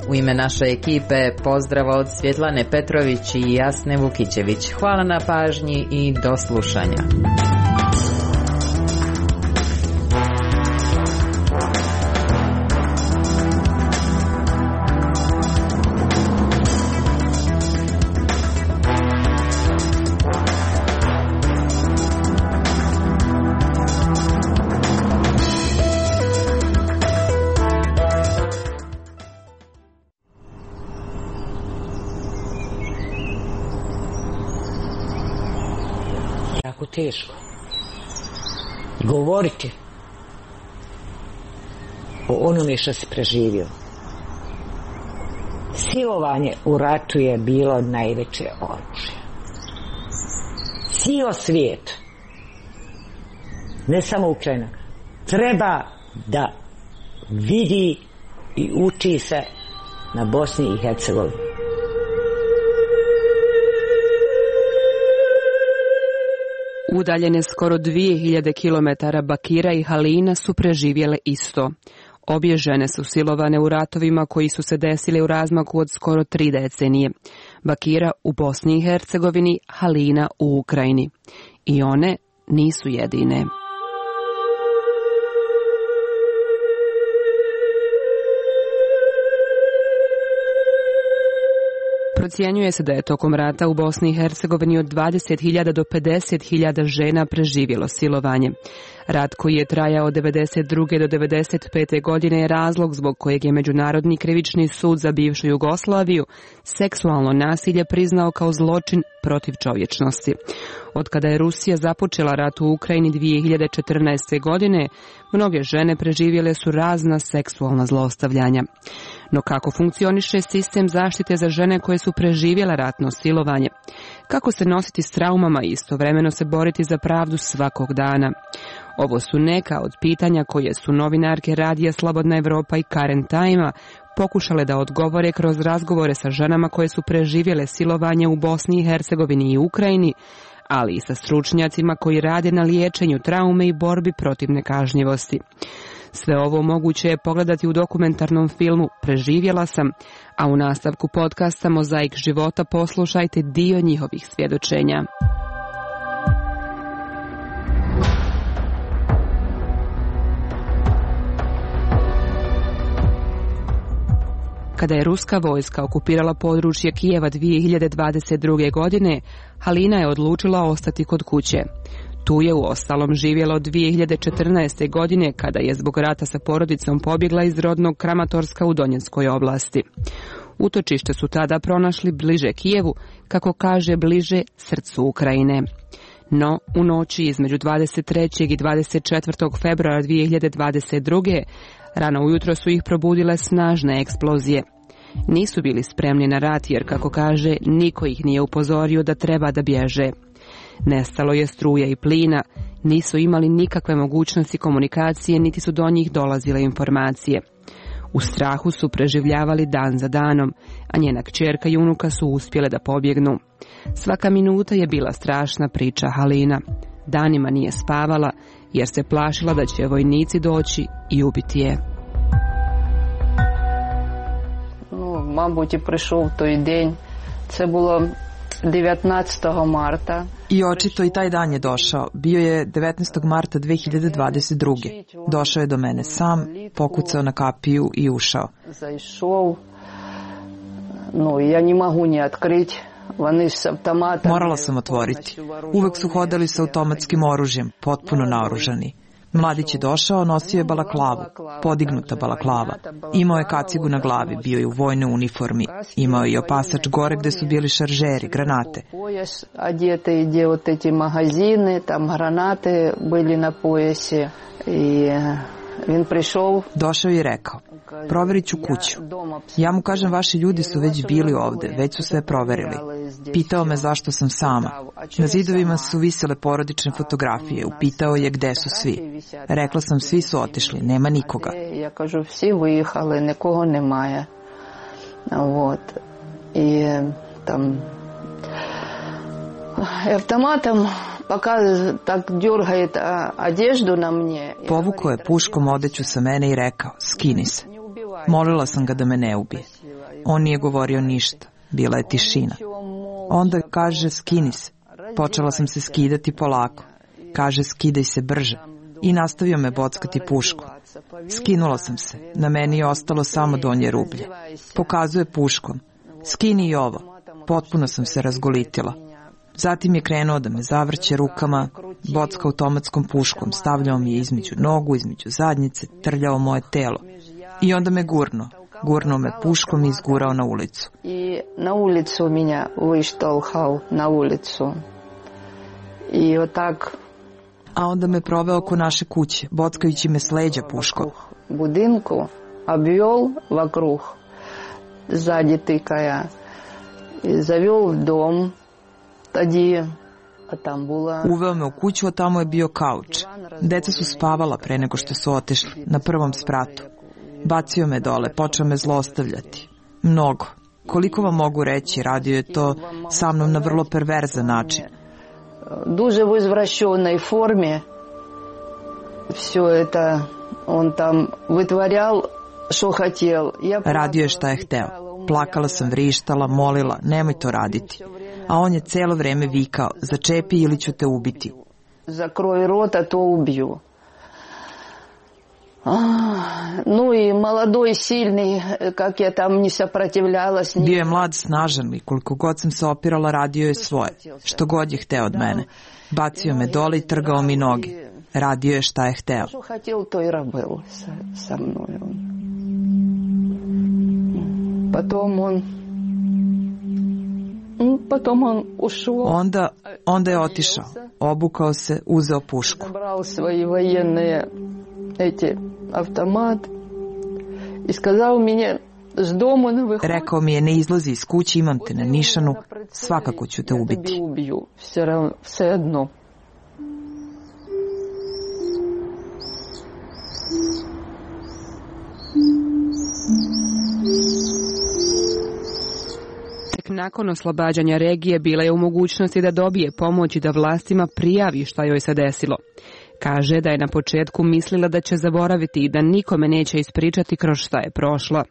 U ime naše ekipe pozdrav od Svjetlane Petrović i Jasne Vukićević. Hvala na pažnji i do slušanja. Teško govoriti o onome što si preživio. Silovanje u ratu je bilo najveće oružje. Cijel svijet, ne samo Ukrajina, treba da vidi i uči se na Bosni i Hercegovini. Udaljene skoro dvije hiljade kilometara Bakira i Halina su preživjele isto. Obje žene su silovane u ratovima koji su se desili u razmaku od skoro tri decenije. Bakira u Bosni i Hercegovini, Halina u Ukrajini. I one nisu jedine. Procjenjuje se da je tokom rata u Bosni i Hercegovini od dvadeset hiljada do pedeset hiljada žena preživjelo silovanje. Rat koji je trajao od devedeset druge do devedeset pete godine je razlog zbog kojeg je Međunarodni krivični sud za bivšu Jugoslaviju seksualno nasilje priznao kao zločin protiv čovječnosti. Od kada je Rusija započela rat u Ukrajini dvije hiljade četrnaeste. godine, mnoge žene preživjele su razna seksualna zlostavljanja. No kako funkcioniše sistem zaštite za žene koje su preživjele ratno silovanje? Kako se nositi s traumama i istovremeno se boriti za pravdu svakog dana? Ovo su neka od pitanja koje su novinarke radija Slobodna Evropa i Current Time-a pokušale da odgovore kroz razgovore sa ženama koje su preživjele silovanje u Bosni i Hercegovini i Ukrajini, ali i sa stručnjacima koji rade na liječenju traume i borbi protiv nekažnjivosti. Sve ovo moguće je pogledati u dokumentarnom filmu Preživjela sam, a u nastavku podcasta Mozaik života poslušajte dio njihovih svjedočenja. Kada je ruska vojska okupirala područje Kijeva dvije hiljade dvadeset druge. godine, Halina je odlučila ostati kod kuće. Tu je u ostalom živjela od dvije hiljade četrnaeste. godine kada je zbog rata sa porodicom pobjegla iz rodnog Kramatorska u Donjeckoj oblasti. Utočište su tada pronašli bliže Kijevu, kako kaže bliže srcu Ukrajine. No, u noći između dvadeset trećeg i dvadeset četvrtog februara dvije hiljade dvadeset druge. rano ujutro su ih probudile snažne eksplozije. Nisu bili spremni na rat jer, kako kaže, niko ih nije upozorio da treba da bježe. Nestalo je struje i plina, nisu imali nikakve mogućnosti komunikacije, niti su do njih dolazile informacije. U strahu su preživljavali dan za danom, a njena kćerka i unuka su uspjele da pobjegnu. Svaka minuta je bila strašna, priča Halina. Danima nije spavala, jer se plašila da će vojnici doći i ubiti je. Ну, мабуть, і прийшов той день. Це було devetnaestog marta. I očito i taj dan je došao. Bio je devetnaestog marta dve hiljade dvadeset druge. Došao je do mene sam, pokucao na kapiju i ušao. Zaišao. No, ja ne mogu ni otkriti. Morala sam otvoriti. Uvek su hodali sa automatskim oružjem, potpuno naoružani. Mladić je došao, nosio je balaklavu, podignuta balaklava. Imao je kacigu na glavi, bio je u vojnoj uniformi. Imao je i opasač gore gde su bili šaržeri, granate. Одеты, где вот эти магазины, там гранаты были на поясе. И він прийшов. Došao je i rekao, proverit ću kuću. Ja mu kažem, vaši ljudi su već bili ovde, već su sve proverili. Pitao me zašto sam sama. Na zidovima su visele porodične fotografije. Upitao je gde su svi. Rekla sam, svi su otišli, nema nikoga. Ja kažu, svi vyjehali, nikogo nemaje. Вот. I tam Автоматом пока так дергает одежду на мне. Povukao je puškom odeću sa mene i rekao, skini se. Molila sam ga da me ne ubije. On nije govorio ništa, bila je tišina. Onda kaže, skini se. Počela sam se skidati polako. Kaže, skidaj se brže. I nastavio me bockati puškom. Skinula sam se. Na meni je ostalo samo donje rublje. Pokazuje puškom. Skini i ovo. Potpuno sam se razgolitila. Zatim je krenuo da me zavrće rukama, bocka automatskom puškom, stavljao mi je između nogu, između zadnjice, trljao moje telo. I onda me gurno. Gurnuo me puškom i izgurao na ulicu. I na ulicu меня vyštolhal, na ulicu. I otak... A onda me proveo oko naše kuće, bockajući me s leđa puškom. Budinku обвел вокруг, сзади тыкая, и завел в дом. Uveo me u kuću, a tamo je bio kauč. Deca su spavala pre nego što su otišli, na prvom spratu. Bacio me dole, počeo me zlostavljati. Mnogo. Koliko vam mogu reći, radio je to sa mnom na vrlo perverzan način. Duže u izvraćenoj formi. Все это on tam vytvarjal što htjel. Radio je šta je hteo. Plakala sam, vrištala, molila, nemoj to raditi. A on je celo vreme vikao, začepi ili ću te ubiti. Zakroj rota, to ubiju. No i mladoj, silni, kak je tam ni saprotivljala s njim. Bio je mlad, snažan i koliko god sam se opirala, radio je svoje. Što god je hteo od mene. Bacio me dole i trgao mi noge. Radio je šta je hteo. Što htjel, to i rabil sa, sa mnom. Potom on Potom on ušao. Onda, onda je otišao, obukao se, uzeo pušku. Brao svoje vojene eti automat i skazao mi je s domu ne vyhodi. Rekao mi je, ne izlazi iz kuće, imam te na nišanu, svakako ću te ubiti. Ubiju, sve jedno. Nakon oslobađanja regije bila je u mogućnosti da dobije pomoć i da vlastima prijavi šta joj se desilo. Kaže da je na početku mislila da će zaboraviti i da nikome neće ispričati kroz šta je prošla.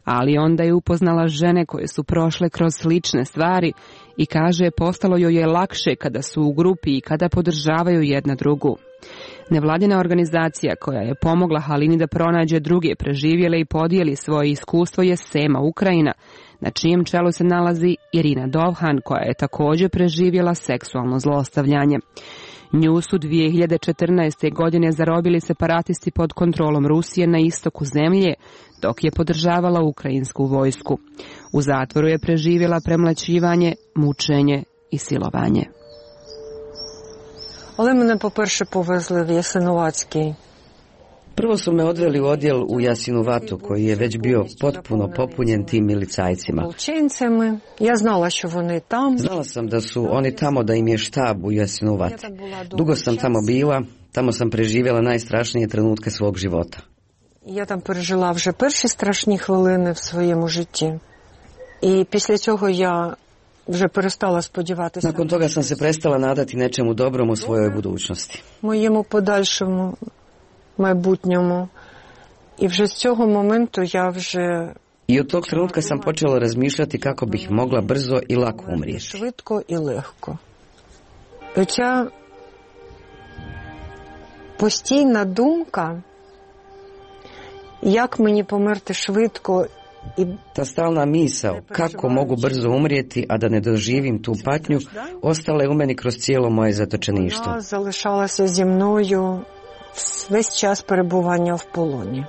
Ali onda je upoznala žene koje su prošle kroz slične stvari i kaže postalo joj je lakše kada su u grupi i kada podržavaju jedna drugu. Nevladina organizacija koja je pomogla Halini da pronađe druge preživjele i podijeli svoje iskustvo je Sema Ukrajina, na čijem čelu se nalazi Irina Dovhan, koja je također preživjela seksualno zlostavljanje. Nju su dvije hiljade četrnaeste. godine zarobili separatisti pod kontrolom Rusije na istoku zemlje, dok je podržavala ukrajinsku vojsku. U zatvoru je preživjela premlaćivanje, mučenje i silovanje. Ali mene po-perše povezli v Jasenovatski. Prvo su me odveli u odjel u Jasinovatu, koji je već bio potpuno popunjen tim milicajcima. Ja znala što oni tam. Znala sam da su oni tamo, da im je štab u Jasinovati. Dugo sam tamo bila, tamo sam preživjela najstrašnije trenutke svog života. Я там пережила вже перші страшні хвилини в своєму житті. І після цього я вже перестала сподіватися. Nakon toga sam se prestala nadati nečemu dobrom u svojoj budućnosti. Моєму подальшому майбутньому. І вже з цього моменту я вже I od tog trenutka sam počela razmišljati kako bih mogla brzo i lako umrijeti. Швидко і легко. Оця постійна думка, як мені померти швидко i ta stalna misao kako mogu brzo umrijeti, a da ne doživim tu patnju, ostala je u meni kroz cijelo moje zatočeništvo. Вона залишалася зі мною весь час перебування в полоні.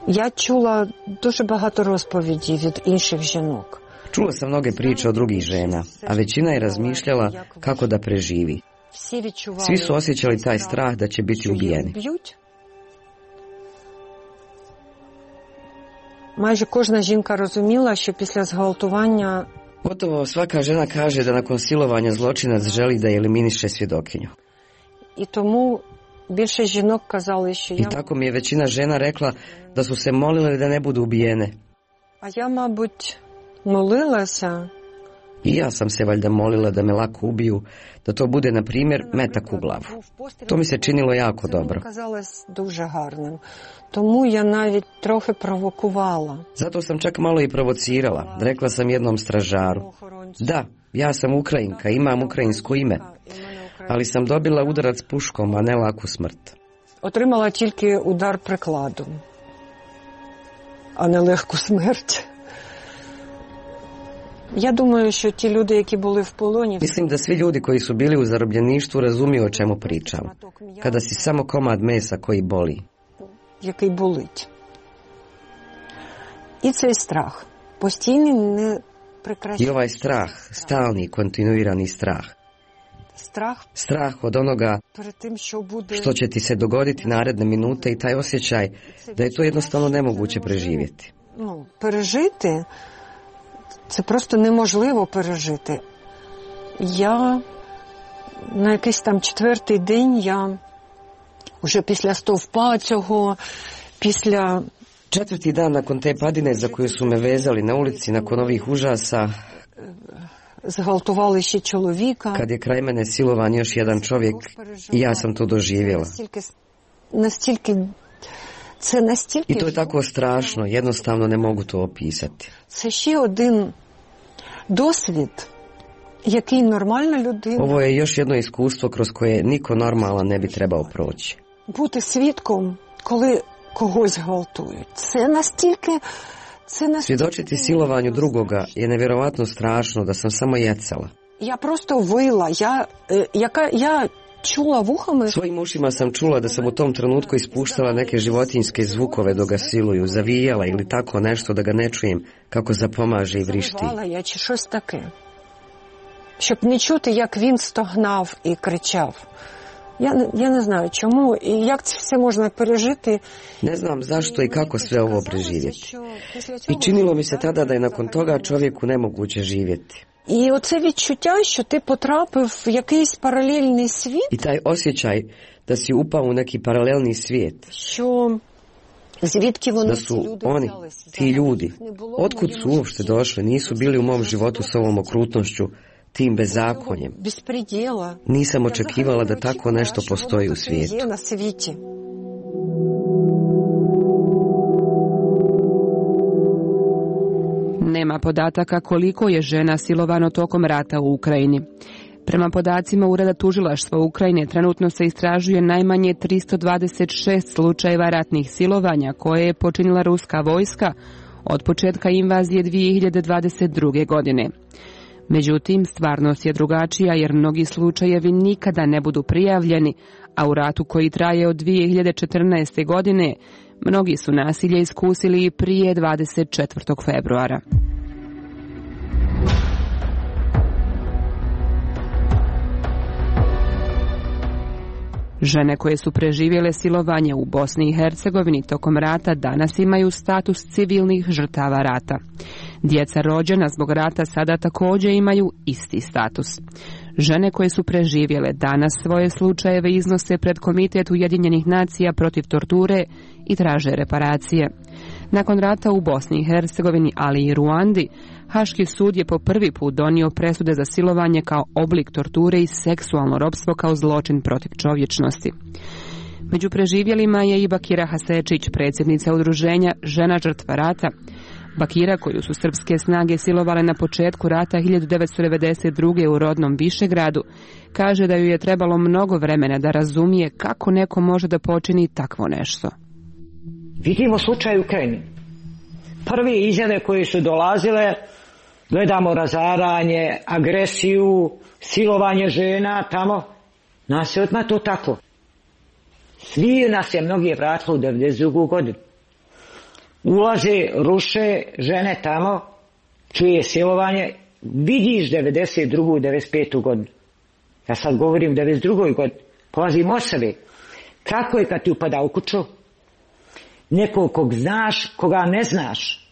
Я чула дуже багато розповідей від інших жінок. Čula sam mnoge priče od drugih žena, a većina je razmišljala kako da preživi. Svi su osjećali taj strah da će biti ubijeni. Майже кожна жінка розуміла, що після зґвалтування Gotovo svaka žena kaže da nakon silovanja zločinac želi da eliminiše svjedokinju. І тому більше жінок казали, що я... I tako mi je većina žena rekla da su se molile da ne budu ubijene. А я, мабуть, Molila sam. I ja sam se valjda molila da me lako ubiju, da to bude, na primjer, metak u glavu. To mi se činilo jako dobro. Дуже гарним. Тому я навіть трохи провокувала. Zato sam čak malo i provocirala. Rekla sam jednom stražaru: da, ja sam Ukrajinka, imam ukrajinsko ime, ali sam dobila udarac puškom, a ne laku smrt. Отримала тільки удар прикладом, а не легку смерть. Ja думаю, що ті люди, які були в полоні... Mislim da svi ljudi koji su bili u zarobljeništvu razumiju o čemu pričam. Kada si samo komad mesa koji boli. Який болить. І цей страх. Постійний, не прекращаючий. I ovaj strah, stalni, kontinuirani strah. Strah. Strah od onoga što će ti se dogoditi naredne minute i taj osjećaj da je to jednostavno nemoguće preživjeti. Ну, пережити... Це просто неможливо пережити. Я на якийсь там четвертий день, я вже після стовпа цього, після... Četvrti dan nakon te padine za koju su me vezali na ulici, nakon ovih užasa, zґвалтували ще чоловіка. Kad je kraj mene silovan još jedan čovjek, i ja sam to doživjela. Настільки, настільки Це настільки... I to je tako strašno, jednostavno ne mogu to opisati. Це ще один досвід, який нормальна людина... Ovo je još jedno iskustvo kroz koje niko normalan ne bi trebao proći. Бути свідком, коли когось гвалтують. Це настільки... Це настільки... Svjedočiti silovanju drugoga je nevjerovatno strašno da sam samo jecala. Ja prosto vila, ja, jaka, ja čula vuhama... Svojim ušima sam čula da sam u tom trenutku ispuštala neke životinjske zvukove dok ga siluju, zavijala ili tako nešto da ga ne čujem kako zapomaže i vrišti. Завивала я чи щось таке, щоб не чути, як він стогнав і кричав. Я, я не знаю чому і як це все можна пережити. Ne znam zašto i kako sve ovo preživjeti. I činilo mi se tada da je nakon toga čovjeku nemoguće živjeti. І оце відчуття, що ти потрапив в якийсь паралельний світ. I taj osjećaj da si upao u neki paralelni svijet. Що звідки вони da su oni, ti ljudi, otkud su uopšte došli, nisu bili u mom životu s ovom okrutnošću, tim bezakonjem. Nisam očekivala da tako nešto postoji u svijetu. Nema podataka koliko je žena silovano tokom rata u Ukrajini. Prema podacima Ureda tužilaštva Ukrajine trenutno se istražuje najmanje tristo dvadeset šest slučajeva ratnih silovanja koje je počinila ruska vojska od početka invazije dvije hiljade dvadeset druge. godine. Međutim, stvarnost je drugačija jer mnogi slučajevi nikada ne budu prijavljeni, a u ratu koji traje od dvije hiljade četrnaeste. godine mnogi su nasilje iskusili i prije dvadeset četvrtog februara. Žene koje su preživjele silovanje u Bosni i Hercegovini tokom rata danas imaju status civilnih žrtava rata. Djeca rođena zbog rata sada također imaju isti status. Žene koje su preživjele danas svoje slučajeve iznose pred Komitet Ujedinjenih nacija protiv torture i traže reparacije. Nakon rata u Bosni i Hercegovini, ali i Ruandi, Haški sud je po prvi put donio presude za silovanje kao oblik torture i seksualno ropstvo kao zločin protiv čovječnosti. Među preživjelima je i Bakira Hasečić, predsjednica udruženja Žena žrtva rata. Bakira, koju su srpske snage silovale na početku rata hiljadu devetsto devedeset druge. u rodnom Višegradu, kaže da ju je trebalo mnogo vremena da razumije kako neko može da počini takvo nešto. Vidimo slučaj u Ukrajini. Prve izjave koje su dolazile, gledamo razaranje, agresiju, silovanje žena tamo, nas je odmah to tako. Svi nas je mnogi vratili u devedeset drugu. godinu. Ulaze, ruše žene tamo, čuje silovanje, vidiš devedeset drugu. i devedeset petu. godinu. Ja sad govorim o devedeset drugoj. godini. Polazim od sebe. Kako je kad ti upada u kuću? Nekog kog znaš, koga ne znaš.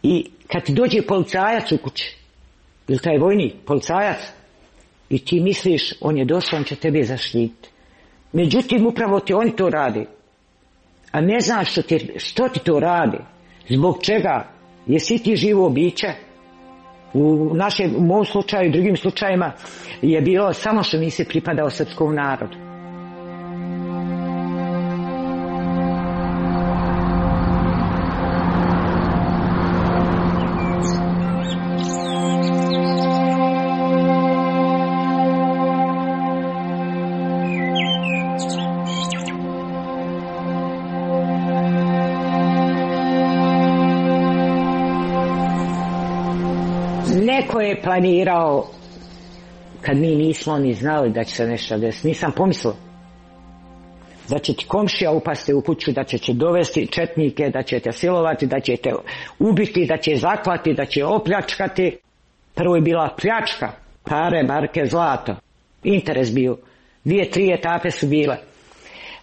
I kad ti dođe policajac u kući, ili taj vojnik, policajac, i ti misliš, on je došao, on će tebe zaštititi. Međutim, upravo ti oni to radi. A ne znaš što ti, što ti to radi, zbog čega, Jesi ti živo biće? U našem, u mom slučaju i drugim slučajima je bilo samo što nisi pripadao srpskom narodu. Neko je planirao, kad mi nismo ni znali da će se nešto desiti, nisam pomislila da će ti komšija upasti u kuću, da će će dovesti četnike, da će te silovati, da će te ubiti, da će zaklati, da će opljačkati. Prvo je bila pljačka, pare, marke, zlato, interes bio. Dvije, tri etape su bile.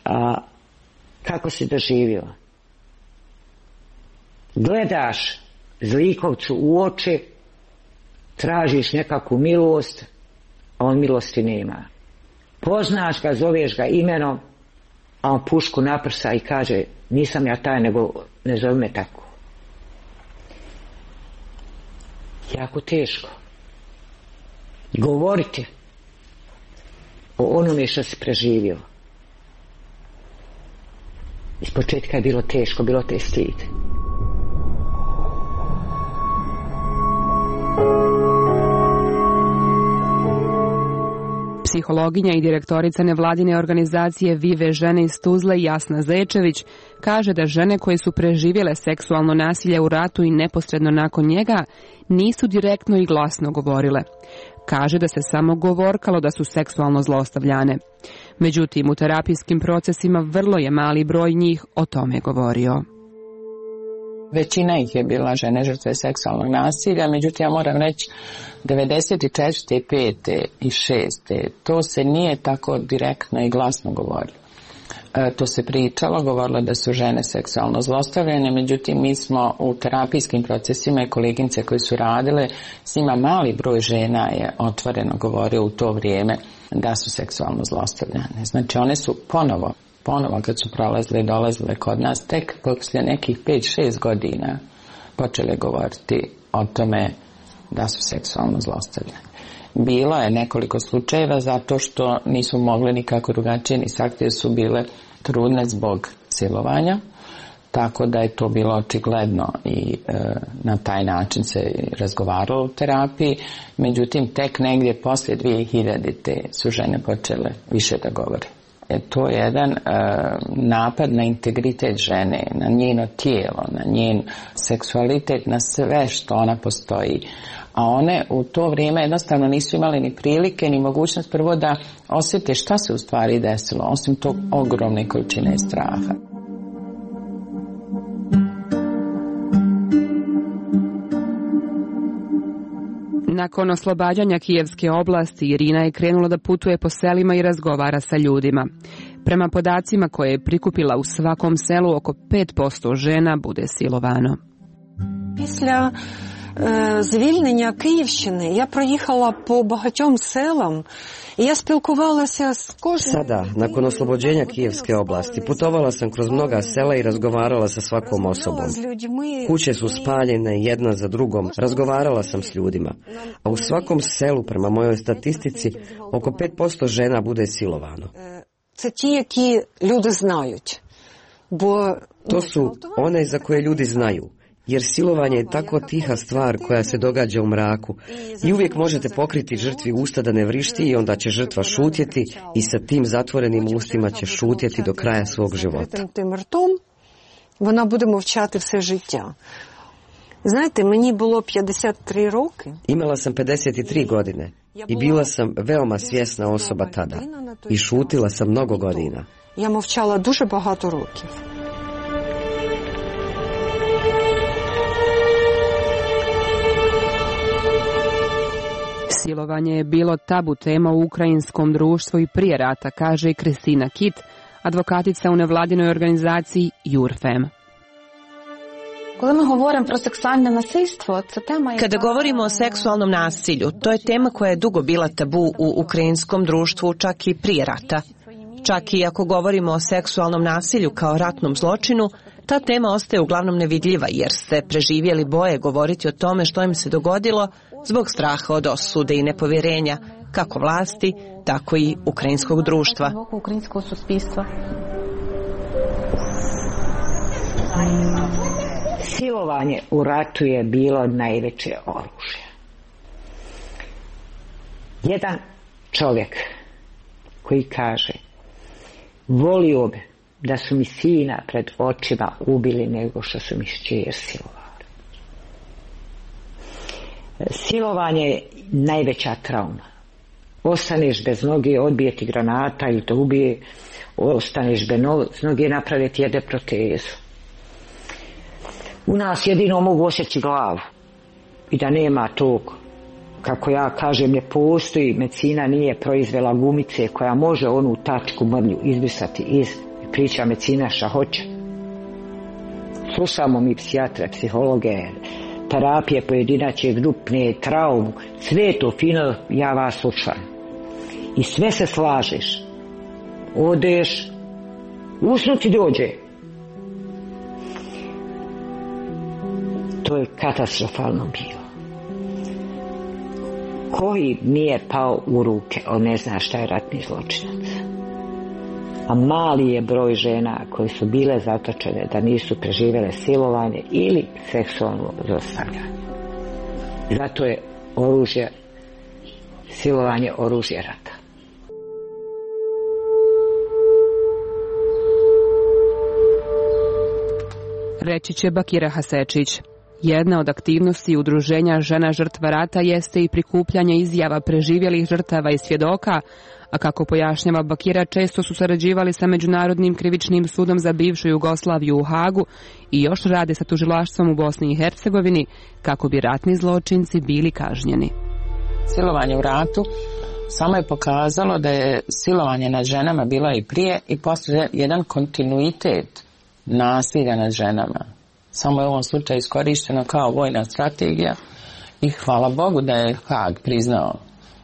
A, kako si doživio? Gledaš zlikovcu u oči, tražiš nekakvu milost, a on milosti nema. Poznaš ga, zoveš ga imenom, a on pušku naprsa i kaže, nisam ja taj, nego ne zove me tako. Jako teško govoriti o onome što si preživio. Iz početka je bilo teško, bilo te stid. Psihologinja i direktorica nevladine organizacije Vive žene iz Tuzle Jasna Zečević kaže da žene koje su preživjele seksualno nasilje u ratu i neposredno nakon njega nisu direktno i glasno govorile. Kaže da se samo govorkalo da su seksualno zlostavljane. Međutim, u terapijskim procesima vrlo je mali broj njih o tome govorio. Većina ih je bila žene žrtve seksualnog nasilja, međutim ja moram reći devedeset četvrte, pete i šeste to se nije tako direktno i glasno govorilo. E, to se pričalo, govorilo da su žene seksualno zlostavljane, međutim mi smo u terapijskim procesima i koleginice koji su radile, s njima mali broj žena je otvoreno govorio u to vrijeme da su seksualno zlostavljane. Znači one su ponovo ponovo kad su prolazile i dolazile kod nas, tek poslije nekih pet šest godina počele govoriti o tome da su seksualno zlostavljane. Bilo je nekoliko slučajeva zato što nisu mogli nikako drugačije, ni saktije su bile trudne zbog silovanja, tako da je to bilo očigledno i e, na taj način se razgovaralo u terapiji, međutim tek negdje poslije dvije hiljadite su žene počele više da govore. E, to je jedan e, napad na integritet žene, na njeno tijelo, na njen seksualitet, na sve što ona postoji. A one u to vrijeme jednostavno nisu imali ni prilike, ni mogućnost prvo da osjete šta se u stvari desilo, osim tog ogromne količine straha. Nakon oslobađanja Kijevske oblasti, Irina je krenula da putuje po selima i razgovara sa ljudima. Prema podacima koje je prikupila, u svakom selu oko pet posto žena bude silovano. Після е, звільнення Київщини я проїхала по багатьом селам i ja spilkovala s kojim... Sada, nakon oslobođenja Kijevske oblasti, putovala sam kroz mnoga sela i razgovarala sa svakom osobom. Kuće su spaljene jedna za drugom, razgovarala sam s ljudima. A u svakom selu, prema mojoj statistici, oko pet posto žena bude silovano. Це ті, які люди знають. Бо... To su one za koje ljudi znaju. Jer silovanje je tako tiha stvar koja se događa u mraku i uvijek možete pokriti žrtvi usta da ne vrišti i onda će žrtva šutjeti i sa tim zatvorenim ustima će šutjeti do kraja svog života. Вона буде мовчати все життя. Знаєте, мені було п'ятдесят три роки. Imala sam pedeset tri godine i bila sam veoma svjesna osoba tada i šutila sam mnogo godina. Я мовчала дуже багато років. Silovanje je bilo tabu tema u ukrajinskom društvu i prije rata, kaže i Kristina Kit, advokatica u nevladinoj organizaciji Jurfem. Kada govorimo o seksualnom nasilju, to je tema koja je dugo bila tabu u ukrajinskom društvu, čak i prije rata. Čak i ako govorimo o seksualnom nasilju kao ratnom zločinu, ta tema ostaje uglavnom nevidljiva jer se preživjeli boje govoriti o tome što im se dogodilo zbog straha od osude i nepovjerenja, kako vlasti, tako i ukrajinskog društva. Silovanje u ratu je bilo najveće oružje. Jedan čovjek koji kaže: volio bi da su mi sina pred očima ubili nego što su mi šćer silovali. Silovanje je najveća trauma. Ostaneš bez noge, odbije ti granata ili te ubije, ostaneš bez noge, naprave ti jede protezu. U nas jedino mogu osjeći glavu i da nema tog, kako ja kažem, ne postoji, medicina nije proizvela gumice koja može onu tačku mrlju izbrisati iz, priča medicina šta hoće. Slušamo mi psihijatre, psihologe, terapije pojedinačne, grupne, traumu, sve to fino, ja vas slušam. I sve se slažeš. Odeš, usnuti dođe. To je katastrofalno bilo. Koji nije pao u ruke, on ne zna šta je ratni zločinac. A mali je broj žena koje su bile zatočene da nisu preživjele silovanje ili seksualno zlostavljanje. Zato je oružje, silovanje oružje rata. Reći će Bakira Hasečić. Jedna od aktivnosti udruženja žena žrtva rata jeste i prikupljanje izjava preživjelih žrtava i svjedoka, a kako pojašnjava Bakira, često su sarađivali sa Međunarodnim krivičnim sudom za bivšu Jugoslaviju u Hagu i još rade sa tužilaštvom u Bosni i Hercegovini kako bi ratni zločinci bili kažnjeni. Silovanje u ratu samo je pokazalo da je silovanje nad ženama bilo i prije i poslije jedan kontinuitet nasilja nad ženama. Samo je u ovom slučaju iskorišteno kao vojna strategija i hvala Bogu da je Hag priznao,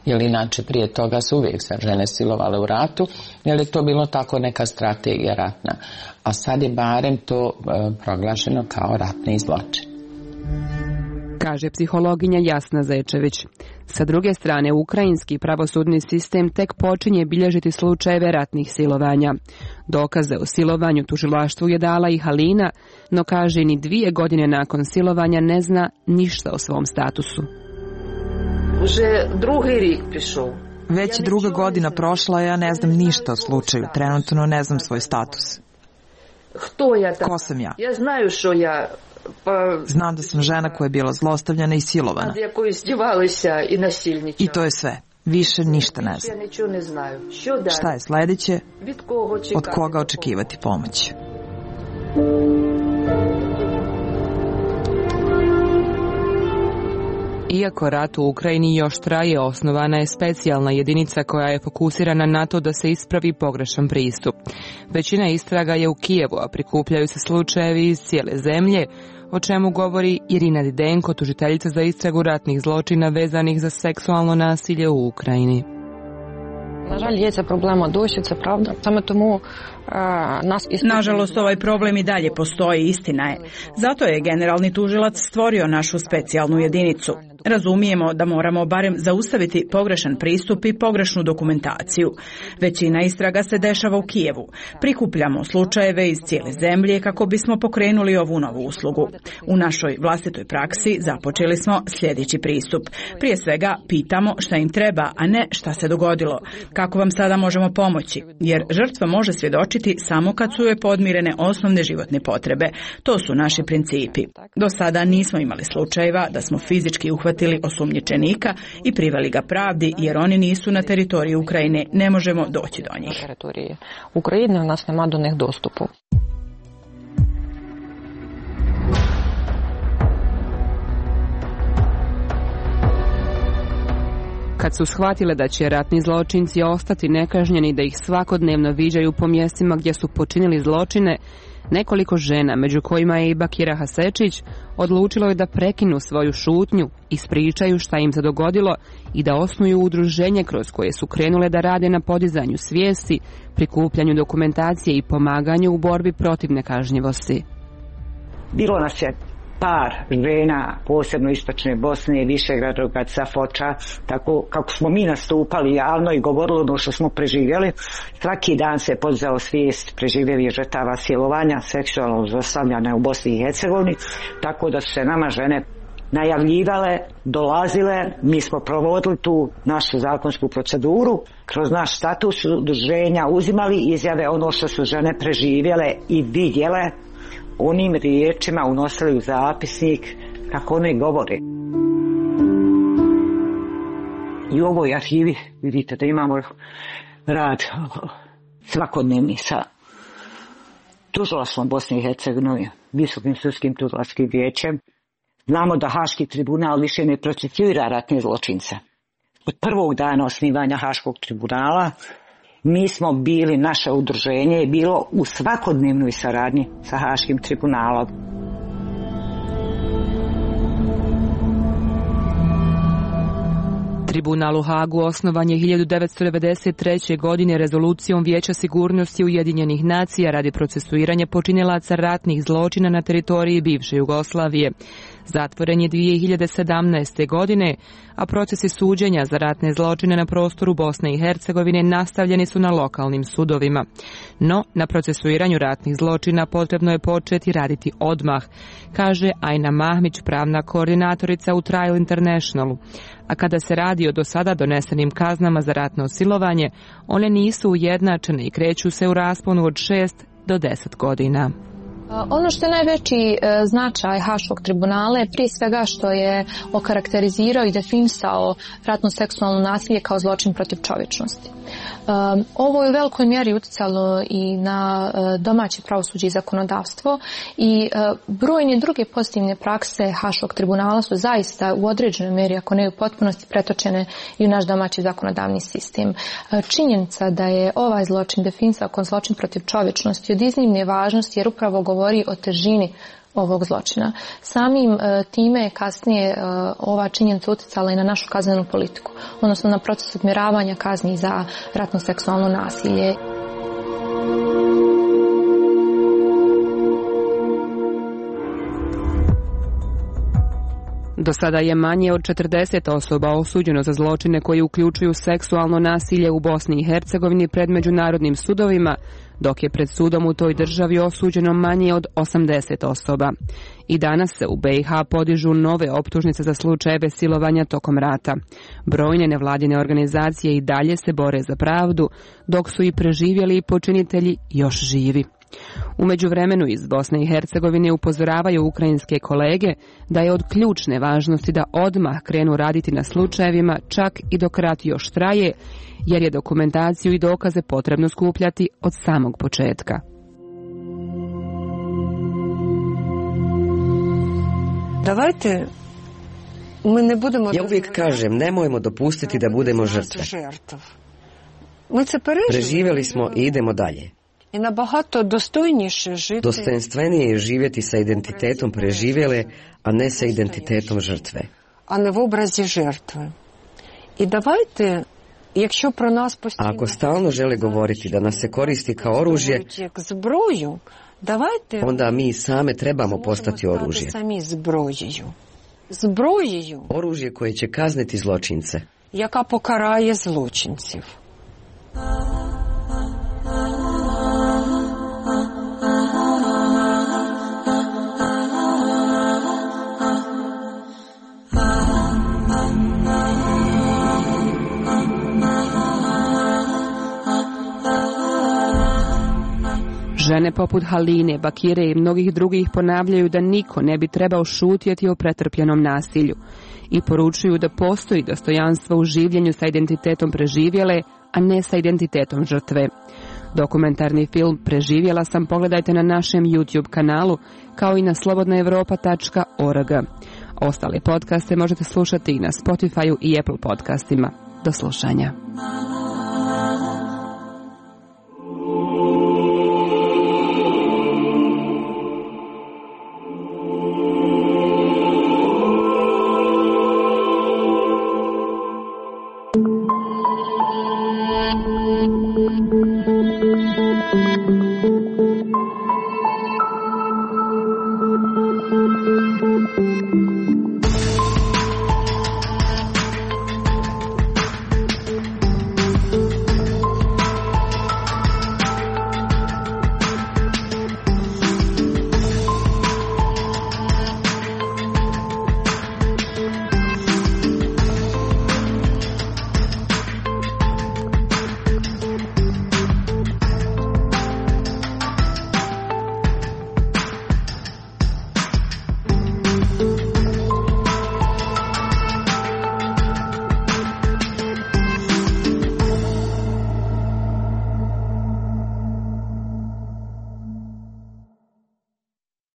jer inače prije toga su uvijek se žene silovale u ratu, jer je to bilo tako neka strategija ratna. A sad je barem to e, proglašeno kao ratni zločin. Kaže psihologinja Jasna Zečević. Sa druge strane, ukrajinski pravosudni sistem tek počinje bilježiti slučajeve ratnih silovanja. Dokaze o silovanju tužilaštvu je dala i Halina, no kaže ni dvije godine nakon silovanja ne zna ništa o svom statusu. Već druga godina prošla, ja ne znam ništa o slučaju. Trenutno ne znam svoj status. Ko sam ja? Znam da sam žena koja je bila zlostavljana i silovana. I to je sve. Više ništa ne znam. Šta je sljedeće? Od koga očekivati pomoć? Iako rat u Ukrajini još traje, osnovana je specijalna jedinica koja je fokusirana na to da se ispravi pogrešan pristup. Većina istraga je u Kijevu, a prikupljaju se slučajevi iz cijele zemlje, o čemu govori Irina Didenko, tužiteljica za istragu ratnih zločina vezanih za seksualno nasilje u Ukrajini. Nažalost, ovaj problem i dalje postoji, istina je. Zato je generalni tužilac stvorio našu specijalnu jedinicu. Razumijemo da moramo barem zaustaviti pogrešan pristup i pogrešnu dokumentaciju. Većina istraga se dešava u Kijevu. Prikupljamo slučajeve iz cijele zemlje kako bismo pokrenuli ovu novu uslugu. U našoj vlastitoj praksi započeli smo sljedeći pristup. Prije svega pitamo šta im treba, a ne šta se dogodilo. Kako vam sada možemo pomoći? Jer žrtva može svjedočiti samo kad su joj podmirene osnovne životne potrebe. To su naši principi. Do sada nismo imali slučajeva da smo fizički uhvatili osumnjičenika i priveli ga pravdi, jer oni nisu na teritoriju Ukrajine, ne možemo doći do njih. Ukrajine u nas nema do njih dostupu. Kad su shvatile da će ratni zločinci ostati nekažnjeni, da ih svakodnevno viđaju po mjestima gdje su počinili zločine, nekoliko žena, među kojima je i Bakira Hasečić, odlučilo je da prekinu svoju šutnju, ispričaju šta im se dogodilo i da osnuju udruženje kroz koje su krenule da rade na podizanju svijesti, prikupljanju dokumentacije i pomaganju u borbi protiv nekažnjivosti. Bilo nas je par žena, posebno istočne Bosne, Višegrada, Safoča, tako kako smo mi nastupali javno i govorili ono što smo preživjeli. Svaki dan se podizao svijest preživjelih žrtava silovanja, seksualnog zlostavljanja u Bosni i Hercegovini, tako da su se nama žene najavljivale, dolazile, mi smo provodili tu našu zakonsku proceduru, kroz naš status udruženja uzimali izjave ono što su žene preživjele i vidjele, onim riječima unosili u zapisnik kako oni govore. I u ovoj arhivi vidite da imamo rad svakodnevni sa tužilaštvom Bosne i Hercegovine, Visokim sudskim tužilačkim vijećem. Znamo da Haški tribunal više ne procesuira ratne zločince. Od prvog dana osnivanja Haškog tribunala mi smo bili, naše udruženje je bilo u svakodnevnoj saradnji sa Haškim tribunalom. Tribunal u Hagu osnovan je hiljadu devetsto devedeset treće. godine rezolucijom Vijeća sigurnosti Ujedinjenih nacija radi procesuiranja počinilaca ratnih zločina na teritoriji bivše Jugoslavije. Zatvoren je dvije hiljade sedamnaeste. godine, a procesi suđenja za ratne zločine na prostoru Bosne i Hercegovine nastavljeni su na lokalnim sudovima. No, na procesuiranju ratnih zločina potrebno je početi raditi odmah, kaže Ajna Mahmić, pravna koordinatorica u Trial Internationalu. A kada se radi o do sada donesenim kaznama za ratno silovanje, one nisu ujednačene i kreću se u rasponu od šest do deset godina. Ono što je najveći značaj Haškog tribunala je prije svega što je okarakterizirao i definisao ratno seksualno nasilje kao zločin protiv čovječnosti. Ovo je u velikoj mjeri utjecalo i na domaće pravosuđe i zakonodavstvo i brojne druge pozitivne prakse Haškog tribunala su zaista u određenoj mjeri, ako ne u potpunosti, pretočene i u naš domaći zakonodavni sistem. Činjenica da je ovaj zločin definisao kao zločin protiv čovječnosti od iznimne važnosti jer upravo govori o težini ovog zločina. Samim e, time je kasnije e, ova činjenica utjecala i na našu kaznenu politiku, odnosno na proces odmjeravanja kazni za ratno seksualno nasilje. Do sada je manje od četrdeset osoba osuđeno za zločine koji uključuju seksualno nasilje u Bosni i Hercegovini pred međunarodnim sudovima, dok je pred sudom u toj državi osuđeno manje od osamdeset osoba. I danas se u B i H podižu nove optužnice za slučajeve silovanja tokom rata. Brojne nevladine organizacije i dalje se bore za pravdu, dok su i preživjeli počinitelji još živi. U međuvremenu iz Bosne i Hercegovine upozoravaju ukrajinske kolege da je od ključne važnosti da odmah krenu raditi na slučajevima čak i dok rat još traje, jer je dokumentaciju i dokaze potrebno skupljati od samog početka. Davajte, mi ne budemo... Ja uvijek kažem, nemojmo dopustiti da budemo žrtve. Preživjeli smo i idemo dalje. I nabahato dostojніше žiti. Dostojanstvenije je živjeti sa identitetom preživjele, a ne sa identitetom žrtve. A ne v obrazi žrtve. I davajte, якщо про нас постійно... A ako stalno žele govoriti da nas se koristi kao oružje, зброю, давайте... onda mi same trebamo postati oružje. Самі зброєю. Зброєю. Oružje koje će kazniti zločince. Яка покарає злочинців. Žene poput Haline, Bakire i mnogih drugih ponavljaju da niko ne bi trebao šutjeti o pretrpljenom nasilju i poručuju da postoji dostojanstvo u življenju sa identitetom preživjele, a ne sa identitetom žrtve. Dokumentarni film Preživjela sam pogledajte na našem YouTube kanalu, kao i na slobodna europa tačka org. Ostale podcaste možete slušati i na Spotify-u i Apple podcastima. Do slušanja.